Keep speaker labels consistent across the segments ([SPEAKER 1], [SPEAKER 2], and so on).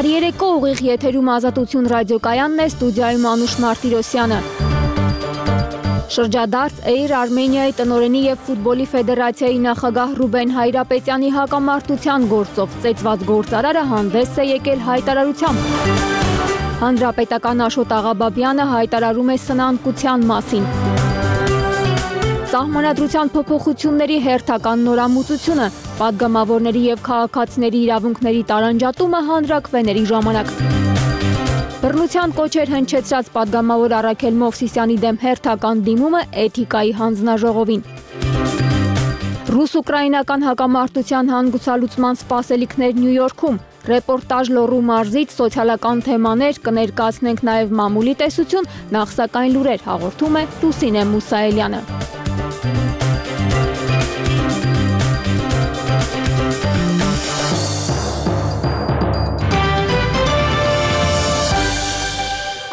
[SPEAKER 1] Բարերեկո ուղիղ եթերում Ազատություն ռադիոկայանն է, ստուդիայում Անուշ Մարտիրոսյանը։ Շրջադարձ Էիր Արմենիայի տնօրենի և ֆուտբոլի ֆեդերացիայի նախագահ Ռուբեն Հայրապետյանի հակամարտության գործով ծեծված գործարարը հանդես է եկել հայտարարությամբ։ Հանրապետական Աշոտ Աղաբաբյանը հայտարարում է սնանկության մասին։ Սահմանադրության փոփոխությունների հերթական նորամուծությունը, պատգամավորների և քաղաքացիների իրավունքների տարանջատումը հանրաքվեների ժամանակ։ Բռնության կոչեր հնչեցրած պատգամավոր Առաքել Մովսիսյանի դեմ հերթական դիմումը էթիկայի հանձնաժողովին։ Ռուս-ուկրաինական հակամարտության հանգուցալուծման սպասելիքներ Նյու Յորքում, ռեպորտաժ Լոռու մարզից սոցիալական թեմաներ, կներկայացնենք նաև մամուլի տեսություն, նախ սակայն լուրեր հաղորդում է Լուսինե Մուսայելյանը։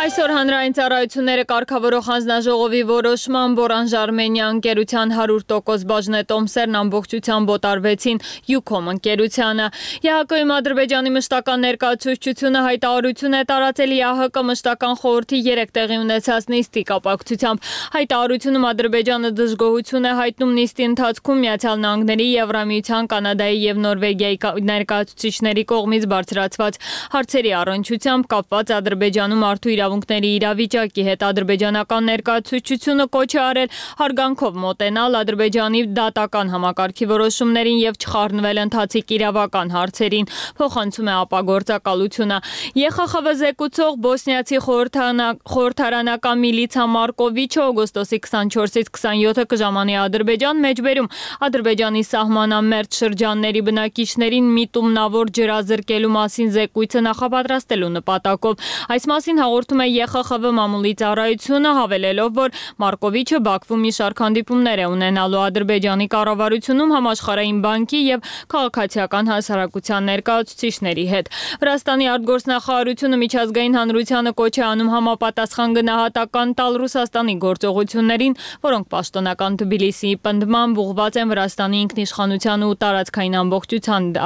[SPEAKER 1] Այսօր հանրային ծառայությունները կարգավորող հանձնաժողովի որոշմամբ Orange Armenia ընկերության 100% բաժնետոմսերն ամբողջությամբ օտարվեցին Ucom ընկերությանը։ ԵԱՀԿ-ում Ադրբեջանի մշտական ներկայացուցչությունը հայտարարություն է տարածել ԵԱՀԿ մշտական խորհրդի 3 տեղի ունեցած նիստի կապակցությամբ։ Հայտարարությունում Ադրբեջանը դժգոհություն է հայտնում նիստի ընթացքում Միացյալ Նահանգների, Եվրամիության, Կանադայի և Նորվեգիայի ներկայացուցիչների կողմից բարձրացված հարցերի առնչությամբ կապված Ադրբեջանում մարդու իրավունքների իրավիճակի հետ ադրբեջանական ներկայացուցչությունը կոչ է արել հարգանքով մոտենալ Ադրբեջանի դատական համակարգի որոշումներին և չխառնվել ընթացիկ իրավական հարցերին, փոխանցում է ապագործակալությունը։ ԵԽԽՎ զեկուցող բոսնիացի խորհրդարանական Միլիցա Մարկովիչը օգոստոսի 24-ից 27-ը կժամանի Ադրբեջան մեջբերում Ադրբեջանի սահմանամերձ շրջանների բնակիչներին միտումնավոր ջրազրկելու մասին զեկույցը նախապատրաստելու նպատակով։ Այս մասին հաղորդում է ԵԽԽՎ մամուլի ծառայությունը, հավելելով, որ Մարկովիչը Բաքվում մի շարք հանդիպումներ է ունենալու Ադրբեջանի կառավարությունում Համաշխարհային բանկի և քաղաքացիական հասարակության ներկայացուցիչների հետ։ Վրաստանի արտգործնախարարությունը միջազգային հանրությանը կոչ է անում համապատասխան գնահատական տալ Ռուսաստանի գործողություններին, որոնք պաշտոնական Թբիլիսիի պնդմամբ ուղղված են Վրաստանի ինքնիշխանության ու տարածքային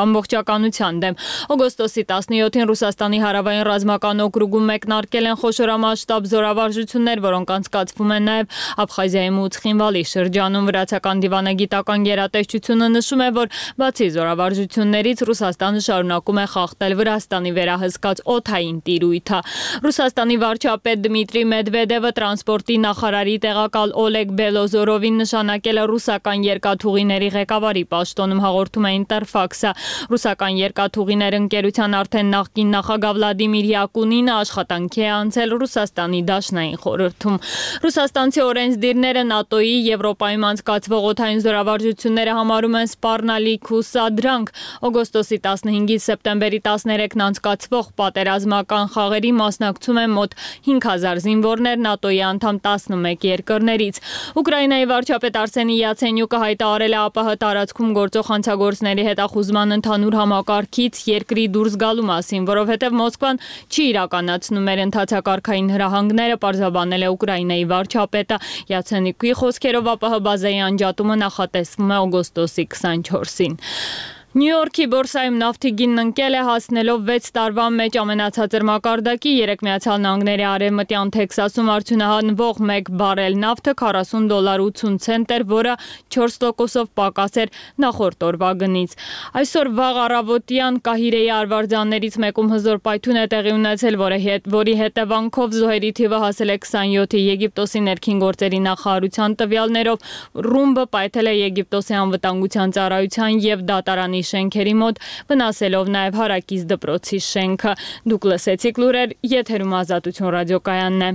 [SPEAKER 1] ամբողջականության դեմ։ Օգոստոսի 17-ին Ռուսաստանի հարավային ռազմական օկրուգում մեկնարկել են խոշորամասշտաբ զորավարժություններ, որոնք անցկացվում են նաև Աբխազիայում ու Ცხինվալի շրջանում։ Վրացական դիվանագիտական գերատեսչությունը նշում է, որ բացի զորավարժություններից Ռուսաստանը շարունակում է խախտել Վրաստանի վերահսկած օդային տիրույթը։ Ռուսաստանի վարչապետ Դմիտրի Մեդվեդևը տրանսպորտի նախարարի տեղակալ Օլեգ Բելոզորովին նշանակել է ռուսական երկաթուղիների ղեկավարի պաշտոնում, հաղորդում է Ինտերֆաքսը։ Ռուսական երկաթուղիներ ընկերության արդեն նախկին նախագահ Վլադիմիր Յակունինը աշխատանքի է անցել Ռուսաստանի Դաշնային խորհրդում։ Ռուսաստանցի օրենսդիրները ՆԱՏՕ-ի Եվրոպայում անցկացվող օդային զորավարժությունները համարում են սպառնալիք ու սադրանք։ Օգոստոսի 15-ից սեպտեմբերի 13-ն անցկացվող պատերազմական խաղերի մասնակցում են մոտ 5000 զինվորներ ՆԱՏՕ-ի անդամ 11 երկրներից։ Ուկրաինայի վարչապետ Արսենի Յացենյուկը հայտարարել է ԱՊՀ տարածքում գործող հանցագործների հետախուզման ընդհանուր համակարգից երկրի դուրս գալու մասին, որովհետև Մոսկվան չի իրականացնում մեր ընդհանցակարգային հրահանգները, պարզաբանել է Ուկրաինայի վարչապետը։ Յացենյուկի խոսքերով ԱՊՀ բազայի անջատումը նախատեսվում է օգոստոսի 24-ին։ Նյու Յորքի բորսայում նավթի գինն ընկել է, հասնելով 6 տարվա մեջ ամենացածր մակարդակի։ Միացյալ Նահանգների արևմտյան Թեքսասում արդյունահանվող 1 բարել նավթը $40.80 էր, որը 4%-ով պակաս էր նախորդ օրվա գնից։ Այսօր վաղ առավոտյան Կահիրեի արվարձաններից մեկում հզոր պայթյուն է տեղի ունեցել, որի հետևանքով զոհերի թիվը հասել է 27-ի։ Եգիպտոսի ներքին գործերի նախարարության տվյալներով ռումբը պայթել է Եգիպտոսի անվտանգության ծառայության և դատարանի շենքերի մոտ, վնասելով նաև հարակից դպրոցի շենքը։ Դուք լսեցիք լուրեր, եթերում Ազատություն ռադիոկայանն է։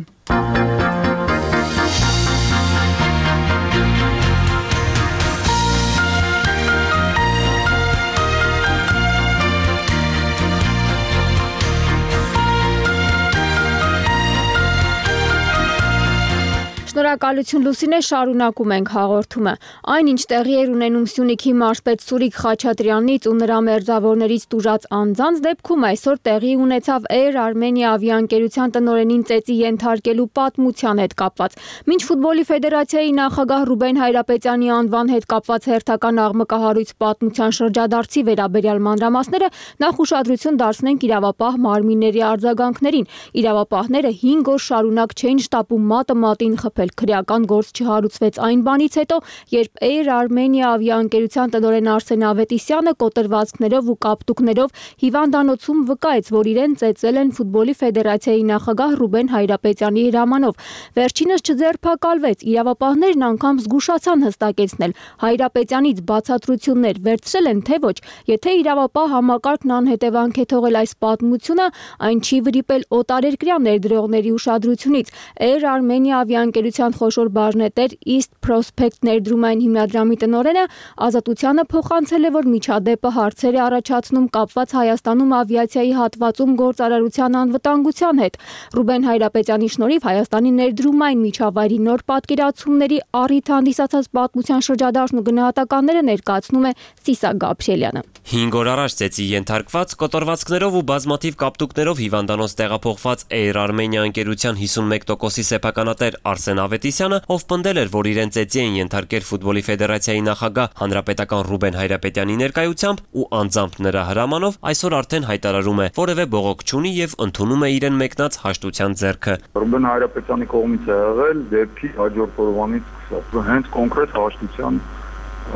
[SPEAKER 2] Շնորհակալություն Լուսինե, շարունակում ենք հաղորդումը։ Այնինչ տեղի էր ունենում Սյունիքի մարզպետ Սուրիկ Խաչատրյանից ու նրա մերձավորներից տուժած անձանց դեպքում այսօր տեղի ունեցավ Air Armenia ավիաընկերության տնօրենին ծեծի ենթարկելու պատմության հետ կապված։ Մինչ ֆուտբոլի ֆեդերացիայի նախագահ Ռուբեն Հայրապետյանի անվան հետ կապված հերթական աղմկահարույց պատմության շրջադարձի վերաբերյալ մանրամասները, նախ ուշադրություն դարձնենք իրավապահ մարմինների արձագանքներին։ Իրավապահները 5 օր շարունակ չէին շտապում մատը մատին խփել։ Քրեական գործ չհարուցվեց այն բանից հետո, երբ Air Armenia ավիաընկերության տնօրեն Արսեն Ավետիսյանը կոտրվածքներով ու կապտուկներով հիվանդանոցում վկայեց, որ իրեն ծեծել են ֆուտբոլի ֆեդերացիայի նախագահ Ռուբեն Հայրապետյանի հրամանով։ Վերջինս չձերբակալվեց։ Իրավապահներն անգամ զգուշացան հստակեցնել, Հայրապետյանից բացատրություններ վերցրել են, թե ոչ։ Եթե իրավապահ համակարգն անհետևանք է թողել այս պատմությունը, այն չի վրիպել օտարերկրյա ներդրողների ուշադրությունից։ Air Armenia ավիաընկերության խոշոր բաժնետեր East Prospect ներդրումային հիմնադրամի տնօրենը Ազատությանը փոխանցել է, որ միջադեպը հարցեր է առաջացնում կապված Հայաստանում ավիացիայի հատվածում գործարարության անվտանգության հետ։ Ռուբեն Հայրապետյանի շնորհիվ Հայաստանի ներդրումային միջավայրի նոր պատկերացումների առիթ հանդիսացած պատմության շրջադարձն ու գնահատականները ներկայացնում է Սիսակ Գաբրիելյանը։
[SPEAKER 3] 5 օր առաջ ծեծի ենթարկված կոտրվածքներով ու բազմաթիվ կապտուկներով հիվանդանոց տեղափոխված Air Armenia ընկերության 51%-ի սեփականատեր Արսեն Ավետիսյանը, ով պնդել էր, որ իրեն ծեծի են ենթարկել ֆուտբոլի ֆեդերացիայի նախագահ հանրապետական Ռուբեն Հայրապետյանի ներկայությամբ ու անձամբ նրա հրամանով, այսօր արդեն հայտարարում է, որևէ բողոք չունի եւ ընդունում է իրեն մեկնած հաշտության ձեռքը։
[SPEAKER 4] Ռուբեն Հայրապետյանի կողմից է եղել դեպքի հաջորդ օրվանից սկսած հենց կոնկրետ հաշտության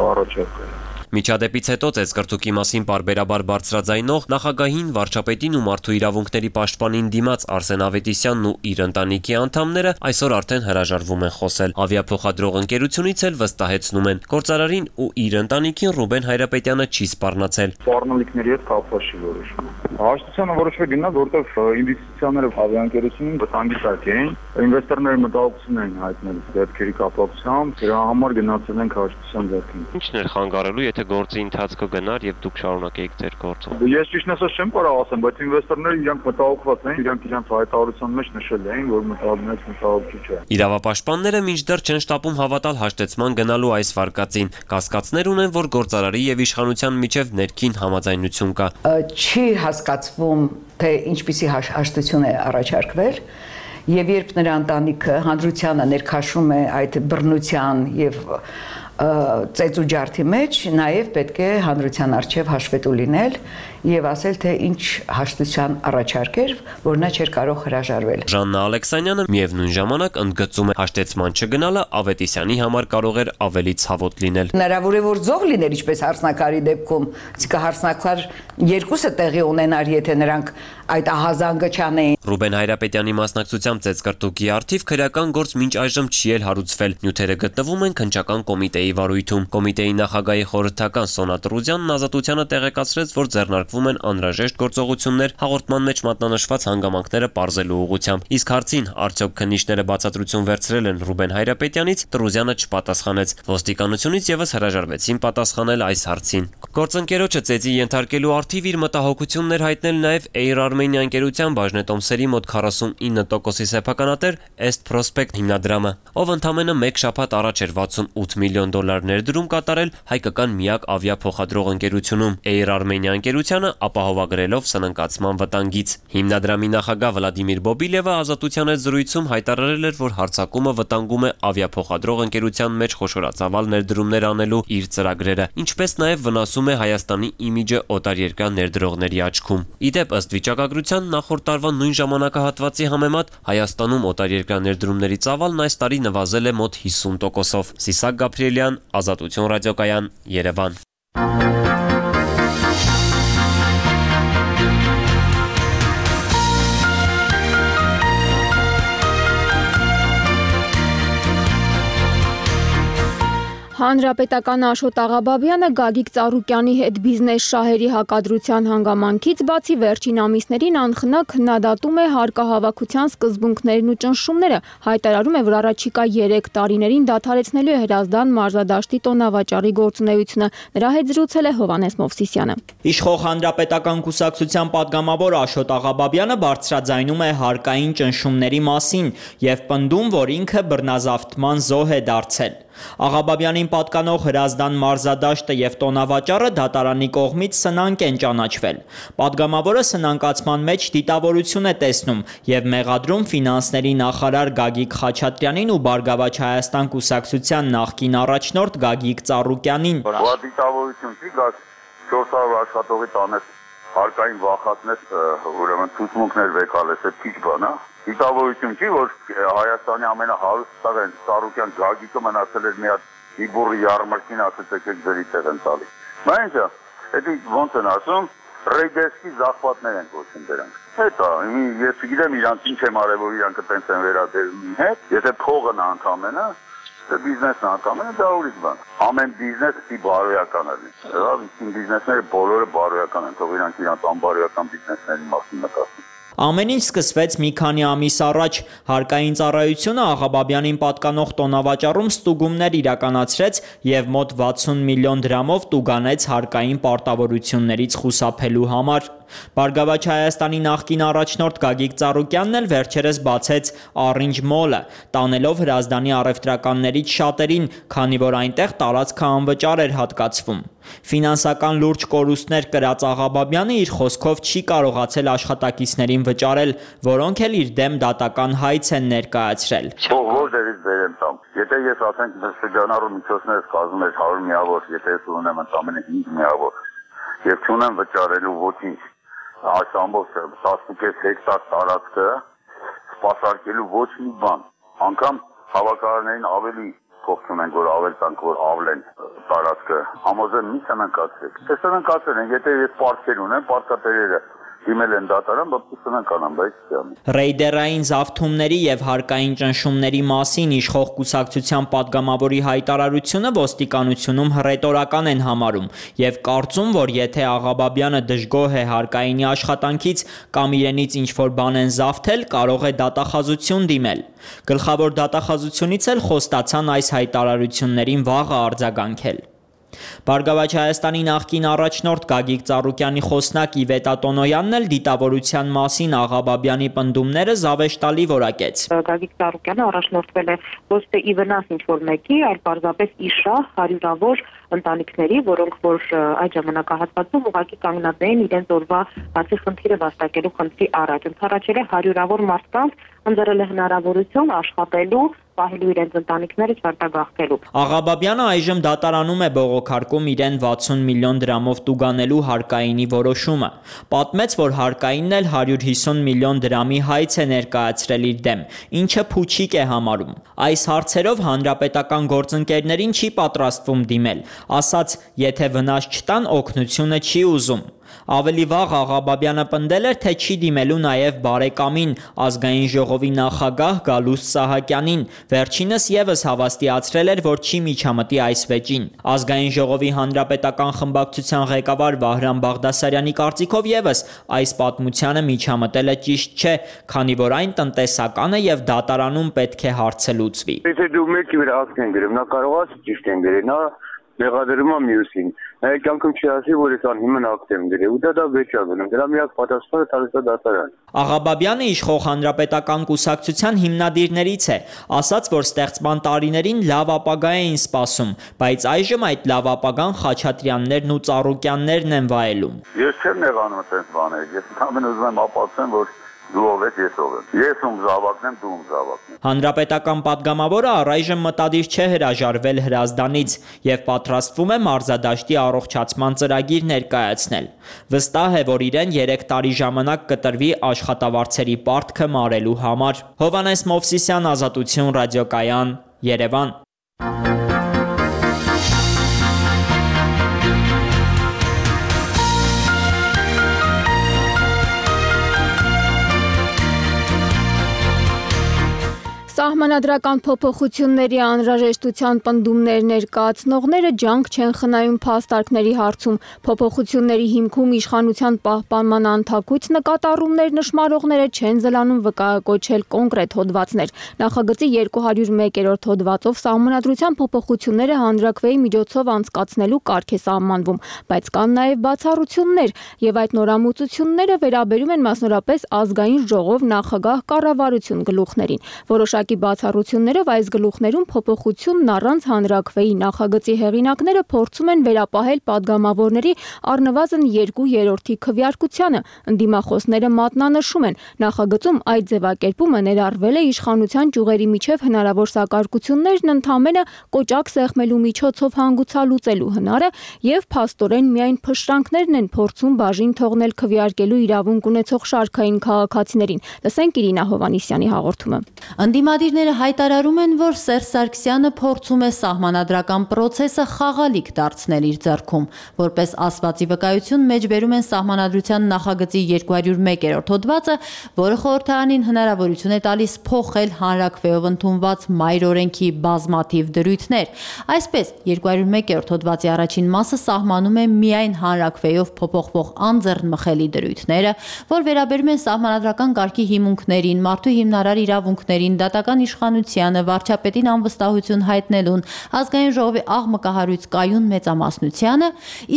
[SPEAKER 4] առաջարկել։
[SPEAKER 3] Միջադեպից հետո ծեծկրտուկի մասին պարբերաբար բարձրաձայնող նախագահին, վարչապետին ու մարդու իրավունքների պաշտպանին դիմաց Արսեն Ավետիսյանն ու իր ընտանիքի անդամները այսօր արդեն հրաժարվում են խոսել։ Ավիափոխադրող ընկերությունից էլ վստահեցնում են, գործարարին ու իր ընտանիքին Ռուբեն Հայրապետյանը չի սպառնացել։
[SPEAKER 4] Սպառնալիքների հետ կապված չի որոշվում։ Հաշտությանը որոշվել գնաց, որտեղ ինվեստիցիաները ավիաընկերությունին վտանգի տակ էին, ինվեստորները մտահոգություն էին հայտնել դեպքերի կապակցությամբ, դրա համար գնացել են հաշտության ձեռքին։
[SPEAKER 3] Ինչն էր խանգարելու, եթե գործի ընթացքը գնար եւ դուք շարունակեիք ձեր գործը։
[SPEAKER 4] Ես ճիշտն ասած չեմ կարող ասեմ, բայց ինվեստորները իրանք մտահոգված էին, իրանք իրենց հայտարարության մեջ նշել էին, որ մտահոգիչ չէ։
[SPEAKER 3] Իրավապաշտպանները մինչդեռ չեն շտապում հավատալ հաշտեցման գնալու այս վարկածին։ Կասկածներ ունեն, որ գործարարի եւ իշխանության միջև ներքին համաձայնություն կա։
[SPEAKER 5] Չի հասկացվում, թե ինչպիսի հաշտություն է առաջարկվել, եւ երբ նրա ընտանիքը հանրությանը ներքաշում է այդ բռնության եւ ծեծու ջարդի մեջ, նաև պետք է հանրության առջև հաշվետու լինել եւ ասել, թե ինչ հաշտության առաջարկ էր, որ նա չէր կարող հրաժարվել։
[SPEAKER 3] Ժաննա Ալեքսանյանը միևնույն ժամանակ ընդգծում է, հաշտեցման չգնալը Ավետիսյանի համար կարող էր ավելի ցավոտ լինել։
[SPEAKER 5] Հնարավոր է, որ զոհ լիներ, ինչպես հարսնակարի դեպքում, իսկ հարսնակար երկուսը տեղի ունենար, եթե նրանք այդ ահազանգը չանեին։
[SPEAKER 3] Ռուբեն Հայրապետյանի մասնակցությամբ ծեծկրտուկի առթիվ քրեական գործ մինչ այժմ չի էլ հարուցվել։ Նյութերը գտնվում են քննչական կոմիտեի վարույթում։ Կոմիտեի նախագահի խորհրդական Սոնա Տրուզյանն Ազատությանը տեղեկացրեց, որ ձեռնարկվում են անհրաժեշտ գործողություններ հաղորդման մեջ մատնանշված հանգամանքները պարզելու ուղղությամբ։ Իսկ հարցին, արդյոք քննիչները բացատրություն վերցրել են Ռուբեն Հայրապետյանից, Տրուզյանը չպատասխանեց։ Ոստիկանությունից եւս հրաժարվեցին պատասխանել այս հարցին։ Գործընկերոջը ծեծի ենթարկելու առթիվ իր մտահոգությունն էր հայտնել նաեւ Air Armenia ընկերության բաժնետոմսերի մոտ 49%-ի սեփականատեր East Prospect հիմնադրամը, ով ընդամենը 1 շաբաթ առաջ էր $68 միլիոն ներդրում կատարել հայկական միակ ավիափոխադրող ընկերությունում Air Armenia ընկերությանը ապահովագրելով սնանկացման վտանգից։ Հիմնադրամի նախագահ Վլադիմիր Բոբիլևը Ազատության հետ զրույցում հայտարարել էր, որ հարձակումը վտանգում է ավիափոխադրող ընկերության մեջ խոշորացավալ ներդրումներ անելու իր ծրագրերը, ինչպես նաև վնասում է Հայաստանի իմիջը օտարերկրյա ներդրողների աչքում։ Իդեպ ըստ վիճակագրության նախորդ տարվա նույն ժամանակահատվածի համեմատ Հայաստանում օտարերկրյա ներդրումների ծավալն այս տարի նվազել է մոտ 50%-ով։ Սիսակ Գաբրիելյան, Ազատություն ռադիոկայան, Երևան։
[SPEAKER 2] Հանրապետականը Աշոտ Աղաբաբյանը Գագիկ Ծառուկյանի հետ բիզնես շահերի հակադրության հանգամանքից բացի վերջին ամիսներին անխնա քննադատում է հարկահավաքության սկզբունքներն ու ճնշումները, հայտարարում է, որ առաջիկա 3 տարիներին դադարեցնելու է Հրազդան մարզադաշտի տոնավաճառի գործունեությունը։ Նրա հետ զրուցել է Հովհաննես Մովսիսյանը։
[SPEAKER 6] Իշխող Հանրապետական կուսակցության պատգամավոր Աշոտ Աղաբաբյանը բարձրաձայնում է հարկային ճնշումների մասին եւ պնդում, որ ինքը բռնազավթման զոհ է դարձել։ Աղաբաբյանին պատկանող Հրազդան մարզադաշտը եւ տոնավաճառը դատարանի կողմից սնանկ են ճանաչվել։ Պատգամավորը սնանկացման մեջ դիտավորություն է տեսնում եւ մեղադրում ֆինանսների նախարար Գագիկ Խաչատրյանին ու Բարգավաճ Հայաստան կուսակցության նախկին առաջնորդ Գագիկ Ծառուկյանին։
[SPEAKER 4] Բա դիտավորություն չի գա 400 աշխատողի տանես հարկային վախածնես ուրեմն ցուցմունքներ վեկալես, այդ քիչ բան է։ Դիտավորություն չի, որ Հայաստանի ամենահարուստ տղեն Ծառուկյան Գագիկը մնացել էր մի հատ իբուրի յարմարքին ասած եկեք ձերի տեղ են տալի։ Բա ինչա, դա ոնց են ասում, ռեյդերսկի զախվածներ են կոչում դրանք։ Հետո ես գիտեմ իրանք ինչ եմ արել, որ իրանք այդպես են վերադերում հետ, եթե փողն անգամենը բիզնեսն անգամենը դա ուրիշ բան։ Ամեն բիզնես պիտի բարոյական լինի։ Լավ, իսկ բիզնեսները բոլորը բարոյական են, թող իրանք իրանք անբարոյական բիզնեսների մասին մտածեն։
[SPEAKER 6] Ամեն ինչ սկսվեց մի քանի ամիս առաջ։ Հարկային ծառայությունը Աղաբաբյանին պատկանող տոնավաճառում ստուգումներ իրականացրեց եւ մոտ 60 միլիոն դրամով տուգանեց հարկային պարտավորություններից խուսափելու համար։ Բարգավաճ Հայաստանի նախկին առաջնորդ Գագիկ Ծառուկյանն էլ վերջերս բացեց Orange Mall-ը, տանելով Հրազդանի առևտրականներից շատերին, քանի որ այնտեղ տարածքը անվճար էր հատկացվում։ Ֆինանսական լուրջ կորուստներ կրած Աղաբաբյանը իր խոսքով չի կարողացել աշխատակիցներին վճարել, որոնք էլ իր դեմ դատական հայց են ներկայացրել։
[SPEAKER 4] Որտեղից բերեմ տամ։ Եթե ես ասենք շրջանառու միջոցներս կազմում ես 100 միավոր, եթե ես ունեմ ընդամենը 5 միավոր, եւ չունեմ վճարելու ոչինչ, այս ամբողջ 10.5 հեկտար տարածքը սպասարկելու ոչ մի բան, անգամ հավաքարարներին ավելի փոխում են, որ ավել տանք, որ ավլեն տարածքը, համոզեմ մի սնանկացրեք։ Թե սնանկացրել են, եթե ես պարտքեր ունեմ, պարտքատերերը դիմել են դատարան, բայց սնանկանան, բայց չեմ։
[SPEAKER 6] Ռեյդերային զավթումների եւ հարկային ճնշումների մասին իշխող կուսակցության պատգամավորի հայտարարությունը ոստիկանությունում հռետորական են համարում եւ կարծում, որ եթե Աղաբաբյանը դժգոհ է հարկայինի աշխատանքից կամ իրենից ինչ-որ բան են զավթել, կարող է դատախազություն դիմել։ Գլխավոր դատախազությունից էլ խոստացան այս հայտարարություններին վաղը արձագանքել։ Բարգավաճ Հայաստանի նախկին առաջնորդ Գագիկ Ծառուկյանի խոսնակ Իվետա Տոնոյանն էլ դիտավորության մասին Աղաբաբյանի պնդումները զավեշտալի որակեց։
[SPEAKER 7] Գագիկ Ծառուկյանը առաջնորդվել է ոչ թե ի վնաս ինչ-որ մեկի, այլ պարզապես ի շահ հարյուրավոր ընտանիքների, որոնք որ այդ ժամանակահատվածում ուղղակի կանգնած էին իրենց օրվա բացի խնդիրը վաստակելու խնդրի առաջ։ Ընդառաջել է հարյուրավոր մարդկանց, ընձեռել է հնարավորություն աշխատելու, պահելու իրենց ընտանիքները չարտագաղթելու։
[SPEAKER 6] Աղաբաբյանը այժմ դատարանում է բողոքարկում իրեն 60 միլիոն դրամով տուգանելու հարկայինի որոշումը։ Պատմեց, որ հարկայինն էլ 150 միլիոն դրամի հայց է ներկայացրել իր դեմ, ինչը փուչիկ է համարում։ Այս հարցերով հանրապետական գործընկերներին չի պատրաստվում դիմել, ասաց, եթե վնաս չտան, օգնությունը չի ուզում։ Ավելի վաղ Աղաբաբյանը պնդել էր, թե չի դիմելու նաև բարեկամին ազգային ժողովի նախագահ Գալուստ Սահակյանին, վերջինս եւս հավաստիացրել էր, որ չի միջամտի այս վեճին։ Ազգային ժողովի հանրապետական խմբակցության ղեկավար Վահրամ Բաղդասարյանի կարծիքով եւս այս պատմությանը միջամտելը ճիշտ չէ, քանի որ այն տնտեսական է եւ դատարանում պետք է հարցը լուծվի։
[SPEAKER 4] Եթե դու մեկի վրա ակտ են գրում, նա կարող է ճիշտ են գրել, նա մեղադրում է մյուսին։ Կյանքում չի ասի, որ ես անհիմն ակտ եմ գրել, ու դա վեճ է գնում։ Դրա միակ պատասխանը տալիս է դատարան։
[SPEAKER 6] Աղաբաբյանը իշխող հանրապետական կուսակցության հիմնադիրներից է, ասաց, որ ստեղծման տարիներին լավ ապագա էին սպասում, բայց այժմ այդ լավ ապագան Խաչատրյաններն ու Ծառուկյաններն են վայելում։
[SPEAKER 4] Ես չեմ նեղանում այդպես բաներ, ես ամեն ուզում եմ ապացուցեմ, որ դու ով ես, ես ով եմ։ Ես ում զավակն եմ, դու ում զավակն ես։
[SPEAKER 6] Հանրապետական պատգամավորը առայժմ մտադիր չէ հրաժարվել Հրազդանից եւ պատրաստվում է մարզադաշտի առողջացման ծրագիր ներկայացնել։ Վստահ է, որ իրեն 3 տարի ժամանակ կտրվի աշխատավարձերի պարտքը մարելու համար։ Հովհաննես Մովսիսյան, Ազատություն ռադիոկայան, Երևան։
[SPEAKER 2] Սահմանադրական փոփոխությունների անհրաժեշտության պնդումներ ներկայացնողները ջանք չեն խնայում փաստարկների հարցում։ Փոփոխությունների հիմքում իշխանության պահպանման անթակույց նկատառումներ նշмарողները չեն զլանում վկայակոչել կոնկրետ հոդվածներ։ Նախագծի 201-րդ հոդվածով սահմանադրության փոփոխությունները հանրաքվեի միջոցով անցկացնելու կարգ է սահմանվում, բայց կան նաև բացառություններ, եւ այդ նորամուծությունները վերաբերում են մասնորապես ազգային ժողով, նախագահ, կառավարություն գլուխներին։ Որոշակի բացառություններով այս գլուխներում փոփոխությունն առանց հանրաքվեի նախագծի հեղինակները փորձում են վերապահել падգամավորների առնվազն 2/3 քվեարկությանը։ Ընդդիմախոսները մատնանշում են, նախագծում այդ ձևակերպումը ներառվել է իշխանության ճյուղերի միջև հնարավոր սակարկություններն ընդամենը կոճակ սեղմելու միջոցով հանգուցալուծելու հնարը եւ փաստորեն միայն փշրանքներն են փորձում բաժին թողնել քվեարկելու իրավունք ունեցող շարքային քաղաքացիներին։ Լսենք Իրինա Հովանիսյանի հաղորդումը։
[SPEAKER 8] Ընդդիմադիրները հայտարարում են, որ Սերժ Սարգսյանը փորձում է սահմանադրական պրոցեսը խաղալիք դարձնել իր ձեռքում։ Որպես ասվածի վկայություն մեջբերում են սահմանադրության նախագծի 201-րդ հոդվածը, որը խորհրդարանին հնարավորություն է տալիս փոխել հանրաքվեով ընդունված մայր օրենքի բազմաթիվ դրույթներ։ Այսպես, 201-րդ հոդվածի առաջին մասը սահմանում է միայն հանրաքվեով փոփոխվող անձեռնմխելի դրույթները, որ վերաբերում են սահմանադրական կարգի հիմունքներին, մարդու հիմնարար իրավունքներին, դատական իշխանությանը, վարչապետին անվստահություն հայտնելուն, ազգային ժողովի աղմկահարույց կայուն մեծամասնությանը,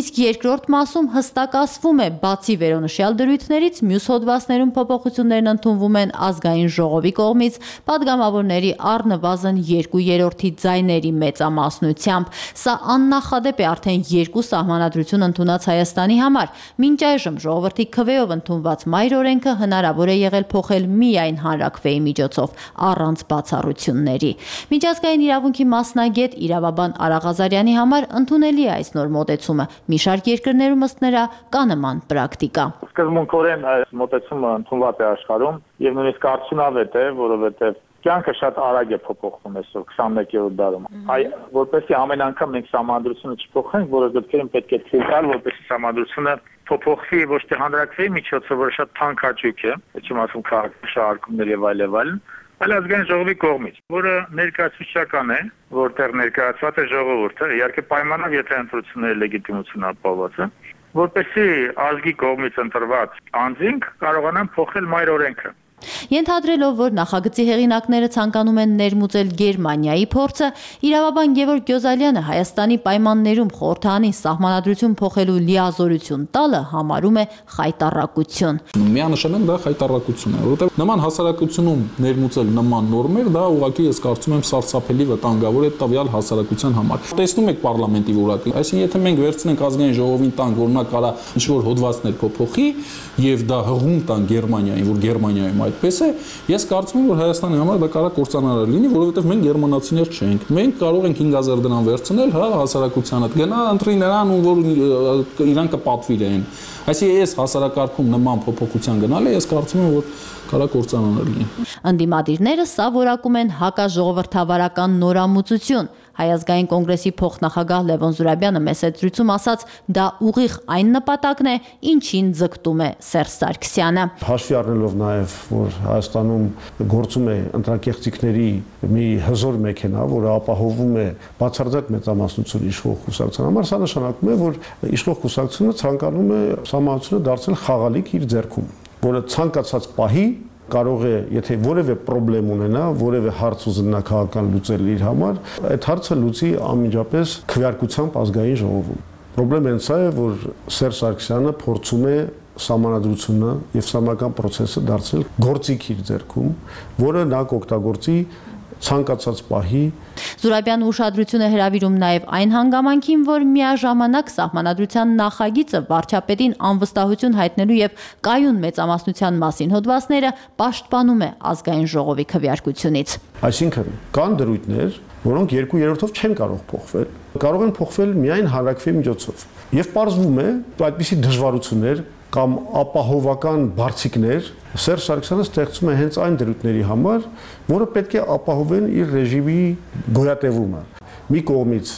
[SPEAKER 8] իսկ երկրորդ մասում հստակացվում է, բացի վերոնշյալ դրույթներից, մյուս հոդվածներում փոփոխություններն ընդունվում են ազգային ժողովի կողմից падգամավորների առնվազն 2/3 ձայների մեծամասնությամբ։ Սա աննախադեպ է արդեն երկու սահմանադրություն ընդունած Հայաստանի համար։ Մինչ այժմ ժողովրդի քվեով ընդունված մայր օրենքը հնարավոր է եղել փոխել միայն հանրաքվեի միջոցով, առանց բացառությունների։ Միջազգային իրավունքի մասնագետ իրավաբան Արա Ղազարյանի համար ընդունելի է այս նոր մոտեցումը։ Մի շարք երկրներում ըստ նրա կա նման պրակտիկա։
[SPEAKER 9] Սկզբունքորեն այս մոտեցումը ընդունված է աշխարհում եւ նույնիսկ արդյունավետ է, որովհետեւ կյանքը շատ արագ է փոփոխվում այսօր 21-րդ դարում։ Որպեսզի ամեն անգամ մենք սահմանադրությունը չփոխենք, որը դեպքերում պետք է թույլ տալ, որպեսզի սահմանադրությունը փոփոխվի ոչ թե հանրաքվեի միջոցով, որը շատ թանկ հաճույք է, չեմ ասում քաղաքաշարժումներ եւ այլն, այլ ազգային ժողովի կողմից, որը ներկայացուցչական է, որտեղ ներկայացված է ժողովուրդը, իհարկե պայմանով, եթե ընտրությունների լեգիտիմությունը ապահովված է, որպեսզի ազգի կողմից ընտրված անձինք կարողանան փոխել մայր օրենքը։
[SPEAKER 8] Ենթադրելով, որ նախագծի հեղինակները ցանկանում են ներմուծել Գերմանիայի փորձը, իրավաբան Գևորգ Գյոզալյանը Հայաստանի պայմաններում խորհրդարանին սահմանադրություն փոխելու լիազորություն տալը համարում է խայտառակություն։
[SPEAKER 10] Միանշանակ դա խայտառակություն է, որովհետև նման հասարակությունում ներմուծել նման նորմեր, դա ուղղակի ես կարծում եմ սարսափելի վտանգավոր է տվյալ հասարակության համար։ Տեսնում եք պարլամենտի որակը, այսինքն եթե մենք վերցնենք ազգային ժողովին տանք, որ նա կարա ինչ-որ հոդվածներ փոփոխի եւ դա հղում տան Գերմանիային, որ Գերմանիայում այդպես է, ես կարծում եմ, որ Հայաստանի համար դա կարող է կործանարար լինի, որովհետև մենք գերմանացիներ չենք։ Մենք կարող ենք 5000 դրամ վերցնել, հա, հասարակությանը, գնա ընտրի նրան, որ իրան կպատվիրեն։ Այսինքն ես հասարակարգում նման փոփոխության գնալը, ես կարծում եմ, որ կարա կործանարար լինի։
[SPEAKER 8] Ընդդիմադիրները սա որակում են հակաժողովրդավարական նորամուծություն։ Հայազգային կոնգրեսի փոխնախագահ Լևոն Զուրաբյանը մեծ զրույցում ասաց, դա ուղիղ այն նպատակն է, ինչին ձգտում է Սերժ Սարգսյանը։
[SPEAKER 11] Հաշվի առնելով նաև, որ Հայաստանում գործում է ընտրակեղծիքների մի հզոր մեքենա, որը ապահովում է բացարձակ մեծամասնություն իշխող կուսակցության համար, սա նշանակում է, որ իշխող կուսակցությունը ցանկանում է սահմանությունը դարձնել խաղալիք իր ձեռքում, որը ցանկացած պահի կարող է, եթե որևէ խնդրեմ ունենա, որևէ հարց ուզենա քաղաքական լուծել իր համար, այդ հարցը լուծի անմիջապես քվեարկությամբ ազգային ժողովում։ Խնդրեմը հենց սա է, որ Սերժ Սարգսյանը փորձում է սահմանադրությունը եւ սահմանական process-ը դարձնել գործիք իր ձեռքում, որը նա կօգտագործի ցանկացած պահի։
[SPEAKER 8] Զուրաբյանը ուշադրություն է հրավիրում նաև այն հանգամանքին, որ միաժամանակ սահմանադրության նախագիծը վարչապետին անվստահություն հայտնելու եւ կայուն մեծամասնության մասին հոդվածները պաշտպանում է ազգային ժողովի քվեարկությունից։
[SPEAKER 11] Այսինքն կան դրույթներ, որոնք 2/3-ով չեն կարող փոխվել, կարող են փոխվել միայն հանրաքվեի միջոցով։ Եվ պարզվում է, այդպիսի դժվարություններ կամ ապահովական բարձիկներ Սերժ Սարգսյանը ստեղծում է հենց այն դրույթների համար, որը պետք է ապահովեն իր ռեժիմի գոյատևումը։ Մի կողմից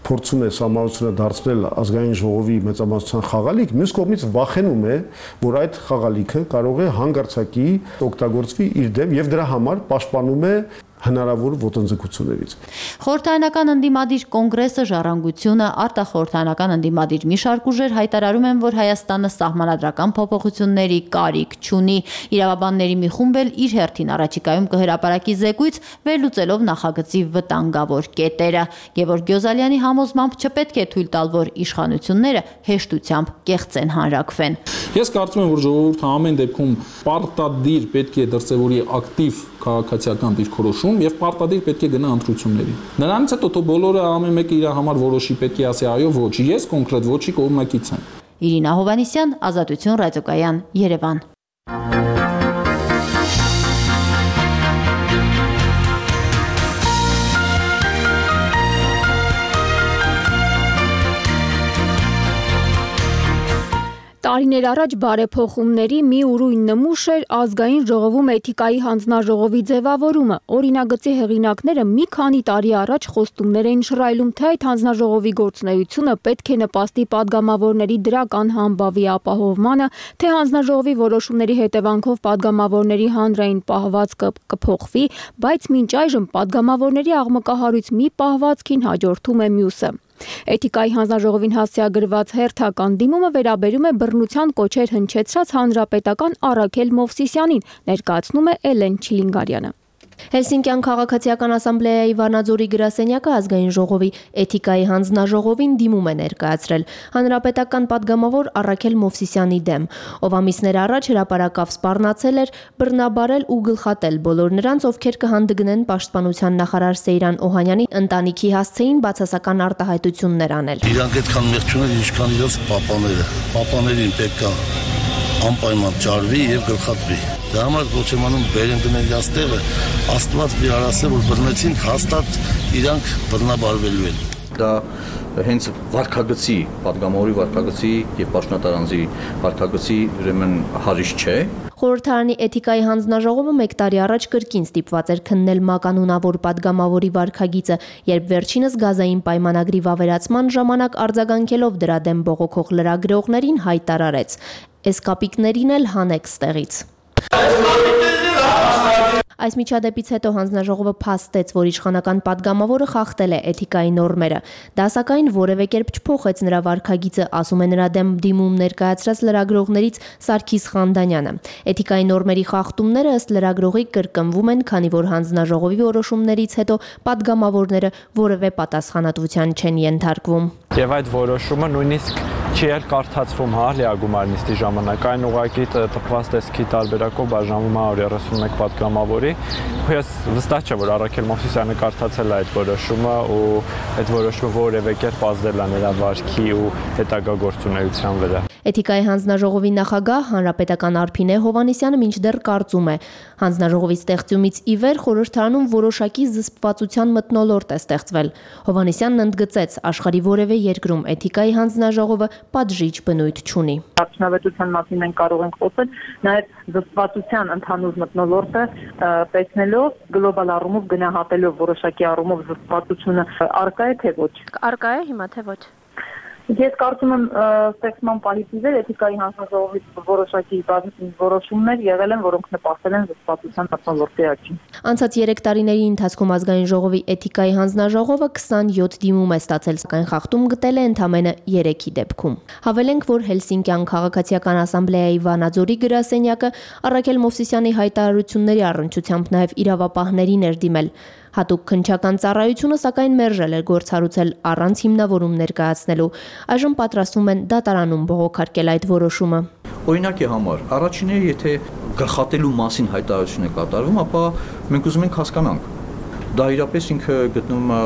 [SPEAKER 11] փորձում է սահմանությունը դարձնել ազգային ժողովի մեծամասնության խաղալիք, մյուս կողմից վախենում է, որ այդ խաղալիքը կարող է հանգարցակի օգտագործվի իր դեմ եւ դրա համար պաշտպանում է հնարավոր ոտնձգություններից։
[SPEAKER 8] Խորհրդարանական ընդդիմադիր կոնգրեսը, Ժառանգությունը, արտախորհրդարանական ընդդիմադիր մի շարք ուժեր հայտարարում են, որ Հայաստանը սահմանադրական փոփոխությունների կարիք չունի։ Իրավաբանների մի խումբ էլ իր հերթին առաջիկայում կհրապարակի զեկույց, վերլուծելով նախագծի վտանգավոր կետերը։ Գևորգ Գյոզալյանի համոզմամբ չպետք է թույլ տալ, որ իշխանությունները հեշտությամբ կեղծեն հանրաքվեն։
[SPEAKER 10] Ես կարծում եմ, որ ժողովուրդը ամեն դեպքում պարտադիր պետք է դրսևորի ակտիվ քաղաքացիական դիրքորոշում եւ պարտադիր պետք է գնա ընտրությունների։ Նրանից հետո թող բոլորը ամեն մեկը իր համար որոշի, պետք է ասի այո, ոչ, ես կոնկրետ ոչի կողմնակից եմ։
[SPEAKER 8] Իրինա Հովհաննիսյան, Ազատություն ռադիոկայան, Երևան։
[SPEAKER 2] Տարիներ առաջ բարեփոխումների մի ուրույն նմուշ էր ազգային ժողովում էթիկայի հանձնաժողովի ձևավորումը։ Օրինագծի հեղինակները մի քանի տարի առաջ խոստումներ էին շռայլում, թե այդ հանձնաժողովի գործունեությունը պետք է նպաստի падգամավորների դրական համբավի ապահովմանը, թե հանձնաժողովի որոշումների հետևանքով падգամավորների հանրային պահվածքը կփոխվի, բայց մինչ այժմ падգամավորների աղմկահարույց մի պահվածքին հաջորդում է մյուսը։ Էթիկայի հանձնաժողովին հասցեագրված հերթական դիմումը վերաբերում է բռնության կոչեր հնչեցրած հանրապետական Առաքել Մովսիսյանին, ներկայացնում է Էլեն Չիլինգարյանը։
[SPEAKER 12] Հելսինկյան քաղաքացիական ասամբլեայի Վանաձորի գրասենյակը ազգային ժողովի էթիկայի հանձնաժողովին դիմում է ներկայացրել հանրապետական падգամավոր Առաքել Մովսիսյանի դեմ, ով ամիսներ առաջ հրապարակավ սպառնացել էր բռնաբարել ու գլխատել բոլոր նրանց, ովքեր կհանդգնեն պաշտպանության նախարար Սեյրան Օհանյանի ընտանիքի հասցեին բացասական արտահայտություններ անել։
[SPEAKER 13] Իրանք այդքան մեղք չունեն, ինչքան իրենց պապաները։ Պապաներին պետք է անպայման ճարվի եւ գլխատվի։ Դա համար ոչ եմ անում բերեն գնել իրաց տեղը, Աստված մի արասը, որ բռնեցին, հաստատ իրանք բռնաբարվելու են։
[SPEAKER 14] Դա հենց վարքագծի, падգամավորի վարքագծի եւ պաշտոնատարանձի վարքագծի ուրեմն հարիշ չէ։
[SPEAKER 12] Խորհրդարանի էթիկայի հանձնաժողովը 1 տարի առաջ կրկին ստիպված էր քննել մականունավոր падգամավորի վարքագիծը, երբ վերջինս գազային պայմանագրի վավերացման ժամանակ արձագանքելով դրա դեմ բողոքող լրագրողներին հայտարարեց. «Էս կապիկներին էլ հանեք ստեղից»։ Այս միջադեպից հետո հանձնաժողովը փաստեց, որ իշխանական падգամավորը խախտել է էթիկայի նորմերը։ Դա սակայն որևէ կերպ չփոխեց նրա վարքագիծը, ասում է նրա դեմ դիմում ներկայացրած լրագրողներից Սարգիս Խանդանյանը։ Էթիկայի նորմերի խախտումները ըստ լրագրողի կրկնվում են, քանի որ հանձնաժողովի որոշումներից հետո падգամավորները որևէ պատասխանատվության չեն ենթարկվում։
[SPEAKER 15] Եվ այդ որոշումը նույնիսկ չի էլ կարդացվում լիագումար նիստի ժամանակ, այն ուղղակի տպված տեսքի տարբերակով բաժանվում է 131 падգամավորի։ Ես վստահ չեմ, որ Առաքել Մովսիսյանը կարդացել է այդ որոշումը ու այդ որոշումը որևէ կերպ ազդել է նրա վարքի ու հետագա գործունեության վրա։
[SPEAKER 12] Էթիկայի հանձնաժողովի նախագահ հանրապետական Արփինե Հովհաննիսյանը մինչդեռ կարծում է, հանձնաժողովի ստեղծումից ի վեր խորհրդարանում որոշակի զսպվածության մթնոլորտ է ստեղծվել։ Հովհաննիսյանն ընդգծեց, աշխարհի որևէ երկրում էթիկայի հանձնաժողովը պատժիչ բնույթ չունի։
[SPEAKER 7] Արդյունավետության մասին մենք կարող ենք խոսել, նաև զսպվածության ընդհանուր մթնոլորտը տեսնելով, գլոբալ առումով գնահատելով որոշակի առումով զսպվածությունը արկա է թե ոչ։
[SPEAKER 12] Արկա է հիմա թե ոչ։
[SPEAKER 7] Ես կարծում եմ ստեղծման պահից ի վեր էթիկայի հանձնաժողովի որոշակի որոշումներ եղել են, որոնք նպաստել են զսպվածության մթնոլորտի աճին։
[SPEAKER 12] Անցած 3 տարիների ընթացքում ազգային ժողովի էթիկայի հանձնաժողովը 27 դիմում է ստացել, սակայն խախտում գտել է ընդամենը 3-ի դեպքում։ Հավելենք, որ Հելսինկյան քաղաքացիական ասամբլեայի Վանաձորի գրասենյակը Առաքել Մովսիսյանի հայտարարությունների առնչությամբ նաև իրավապահներին էր դիմել։ Հատուկ քննչական ծառայությունը սակայն մերժել է գործառույցել առանց հիմնավորում ներկայացնելու։ Այժմ պատրաստվում են դատարանում բողոքարկել այդ որոշումը։
[SPEAKER 14] Օրինակի համար, առաջինները եթե գլխատելու մասին հայտարարություն է կատարվում, ապա մենք ուզում ենք հասկանանք։ Դա իրապես ինքը գտնվում է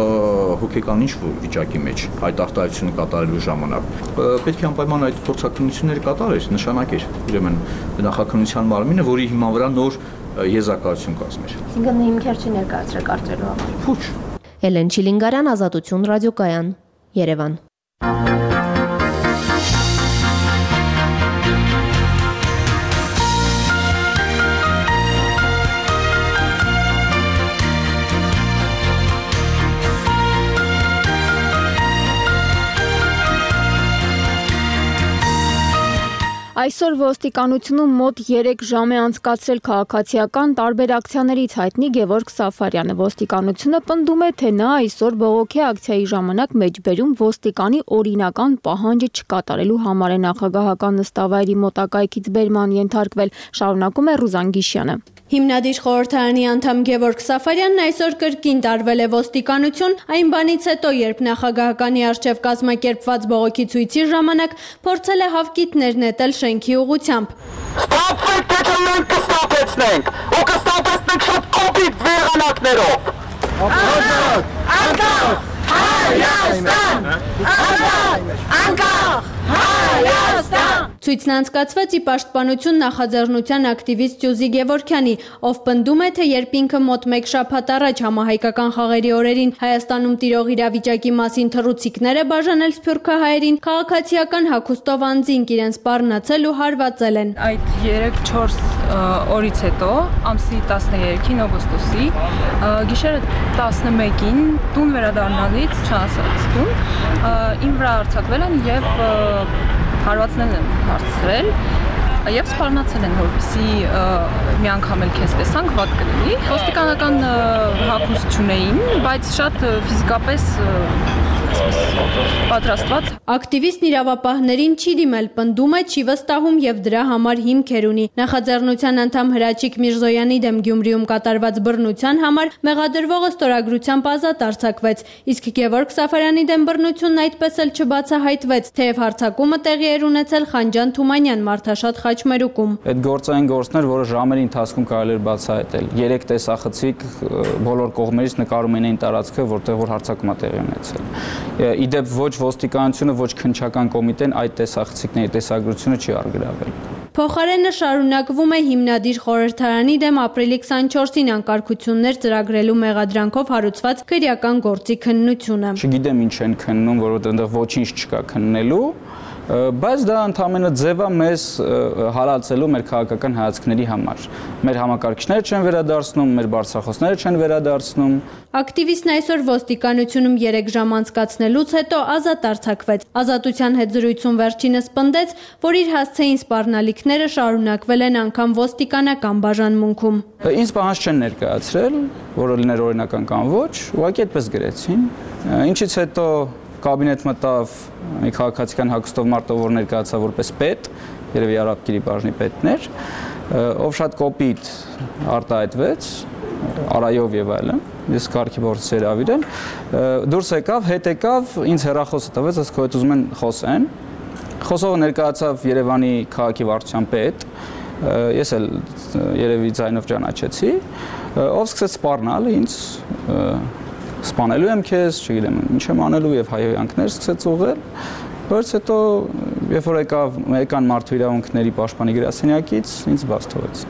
[SPEAKER 14] հոգեկան ինչ-որ վիճակի մեջ այդ արտահայտությունը կատարելու ժամանակ։ Պետք է անպայման այդ փորձակնությունները կատարեր, նշանակեր ուրեմն նախաքննության մարմինը, որի հիման վրա նոր եզրակացություն կազմեր։
[SPEAKER 12] Այսինքն հիմքեր չի ներկայացրել կարծելու համար։
[SPEAKER 14] Փուչ։
[SPEAKER 12] Էլեն Չիլինգարյան, Ազատություն ռադիոկայան, Երևան։
[SPEAKER 2] Այսօր ոստիկանությունում մոտ 3 ժամ է անցկացրել քաղաքացիական տարբեր ակցիաներից հայտնի Գևորգ Սաֆարյանը։ Ոստիկանությունը պնդում է, թե նա այսօր բողոքի ակցիայի ժամանակ մեջբերում ոստիկանի օրինական պահանջը չկատարելու համար է նախագահական նստավայրի մոտակայքից բերման ենթարկվել, շարունակում է Ռուզան Գիշյանը։
[SPEAKER 16] Հիմնադիր խորհրդարանի անդամ Գևորգ Սաֆարյանն այսօր կրկին տարվել է ոստիկանություն, այն բանից հետո, երբ նախագահականի առջև կազմակերպված բողոքի ցույցի ժամանակ փորձել է հավկիթներ նետել շենքի ուղղությամբ։
[SPEAKER 17] Ստապվեք, թե մենք կստապեցնենք, ու կստապեցնենք շատ կոպիտ վեղանակներով։ Անկախ Հայաստան! Անկախ Հայաստան!
[SPEAKER 16] Ցույցն անցկացվեց ի պաշտպանություն նախաձեռնության ակտիվիստ Սյուզի Գևորգյանի, ով պնդում է, թե երբ ինքը մոտ 1 շաբաթ առաջ համահայկական խաղերի օրերին Հայաստանում տիրող իրավիճակի մասին թռուցիկներ է բաժանել սփյուռքահայերին, քաղաքացիական հագուստով անձինք իրենց սպառնացել ու հարվածել են։
[SPEAKER 18] Այդ 3-4 օրից հետո, ամսի 13-ին օգոստոսի, գիշերը 11-ին տուն վերադառնալից չհասած տուն, իմ վրա արձակվել են եւ հարվածներ են հարցրել եւ սպառնացել են, որպեսզի մի անգամ էլ քեզ տեսանք, վատ կլինի։ Ոստիկանական հագուստ չունեին, բայց շատ ֆիզիկապես պատրաստված։
[SPEAKER 16] Ակտիվիստն իրավապահներին չի դիմել, պնդում է, չի վստահում եւ դրա համար հիմքեր ունի։ Նախաձեռնության անդամ Հրաչիկ Միրզոյանի դեմ Գյումրիում կատարված բռնության համար մեղադրվողը ստորագրությամբ ազատ արձակվեց, իսկ Գևորգ Սաֆարյանի դեմ բռնությունն այդպես էլ չբացահայտվեց, թեև հարձակումը տեղի էր ունեցել Խանջան Թումանյան մարդաշատ խաչմերուկում։
[SPEAKER 19] Այդ գործային գործներ, որը ժամերի ընթացքում կարելի էր բացահայտել։ 3 տեսախցիկ բոլոր կողմերից նկարում էին տարածքը, որտեղ որ հարձակումը տեղի ունեցել։ Իդեպ ոչ ոստիկանությունը, ոչ քննչական կոմիտեն այդ տեսախցիկների տեսագրությունը չի արգրավել։
[SPEAKER 16] Փոխարենը շարունակվում է հիմնադիր խորհրդարանի դեմ ապրիլի 24-ին անկարգություններ ծրագրելու մեղադրանքով հարուցված քրեական գործի քննությունը։
[SPEAKER 19] Չգիտեմ ինչ են քննում, որովհետև այնտեղ ոչինչ չկա քննելու, բայց դա ընդհանրապես ձև է մեզ հալածելու մեր քաղաքական հայացքների համար։ Մեր համակարգիչները չեն վերադարձնում, մեր բարձրախոսները չեն վերադարձնում։
[SPEAKER 16] Ակտիվիստն այսօր ոստիկանությունում 3 ժամ անցկացնելուց հետո ազատ արձակվեց։ Ազատության հետ զրույցում վերջինս պնդեց, որ իր հասցեին սպառնալիքները շարունակվել են անգամ ոստիկանական բաժանմունքում։
[SPEAKER 19] Ինձ պահանջ չեն ներկայացրել, որը լիներ օրինական կամ ոչ, ուղղակի այդպես գրեցին։ Ինչից հետո կաբինետ մտավ մի քաղաքացիական հագուստով մարդ, որ ներկայացավ որպես պետ, երևի Արաբկիրի բաժնի պետներ, ով շատ կոպիտ արտահայտվեց, արայով եւ այլն, ես կարգի փորձի հրավիրել, դուրս եկավ, հետ եկավ, ինձ հեռախոսը տվեց, ասաց քո հետ ուզում են խոսեն։ Խոսողը ներկայացավ Երևանի քաղաքի վարչության պետ, ես էլ երևի ձայնով ճանաչեցի, ով սկսեց սպառնալ ինձ, սպանելու եմ քեզ, չգիտեմ, ինչ եմ անելու եւ հայհոյանքներ սկսեց ուղղել, բայց հետո երբ որ եկան մարդու իրավունքների պաշտպանի գրասենյակից, ինձ բաց թողեց։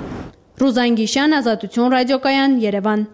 [SPEAKER 16] Ռուզան Գիշյան, Ազատություն ռադիոկայան, Երևան։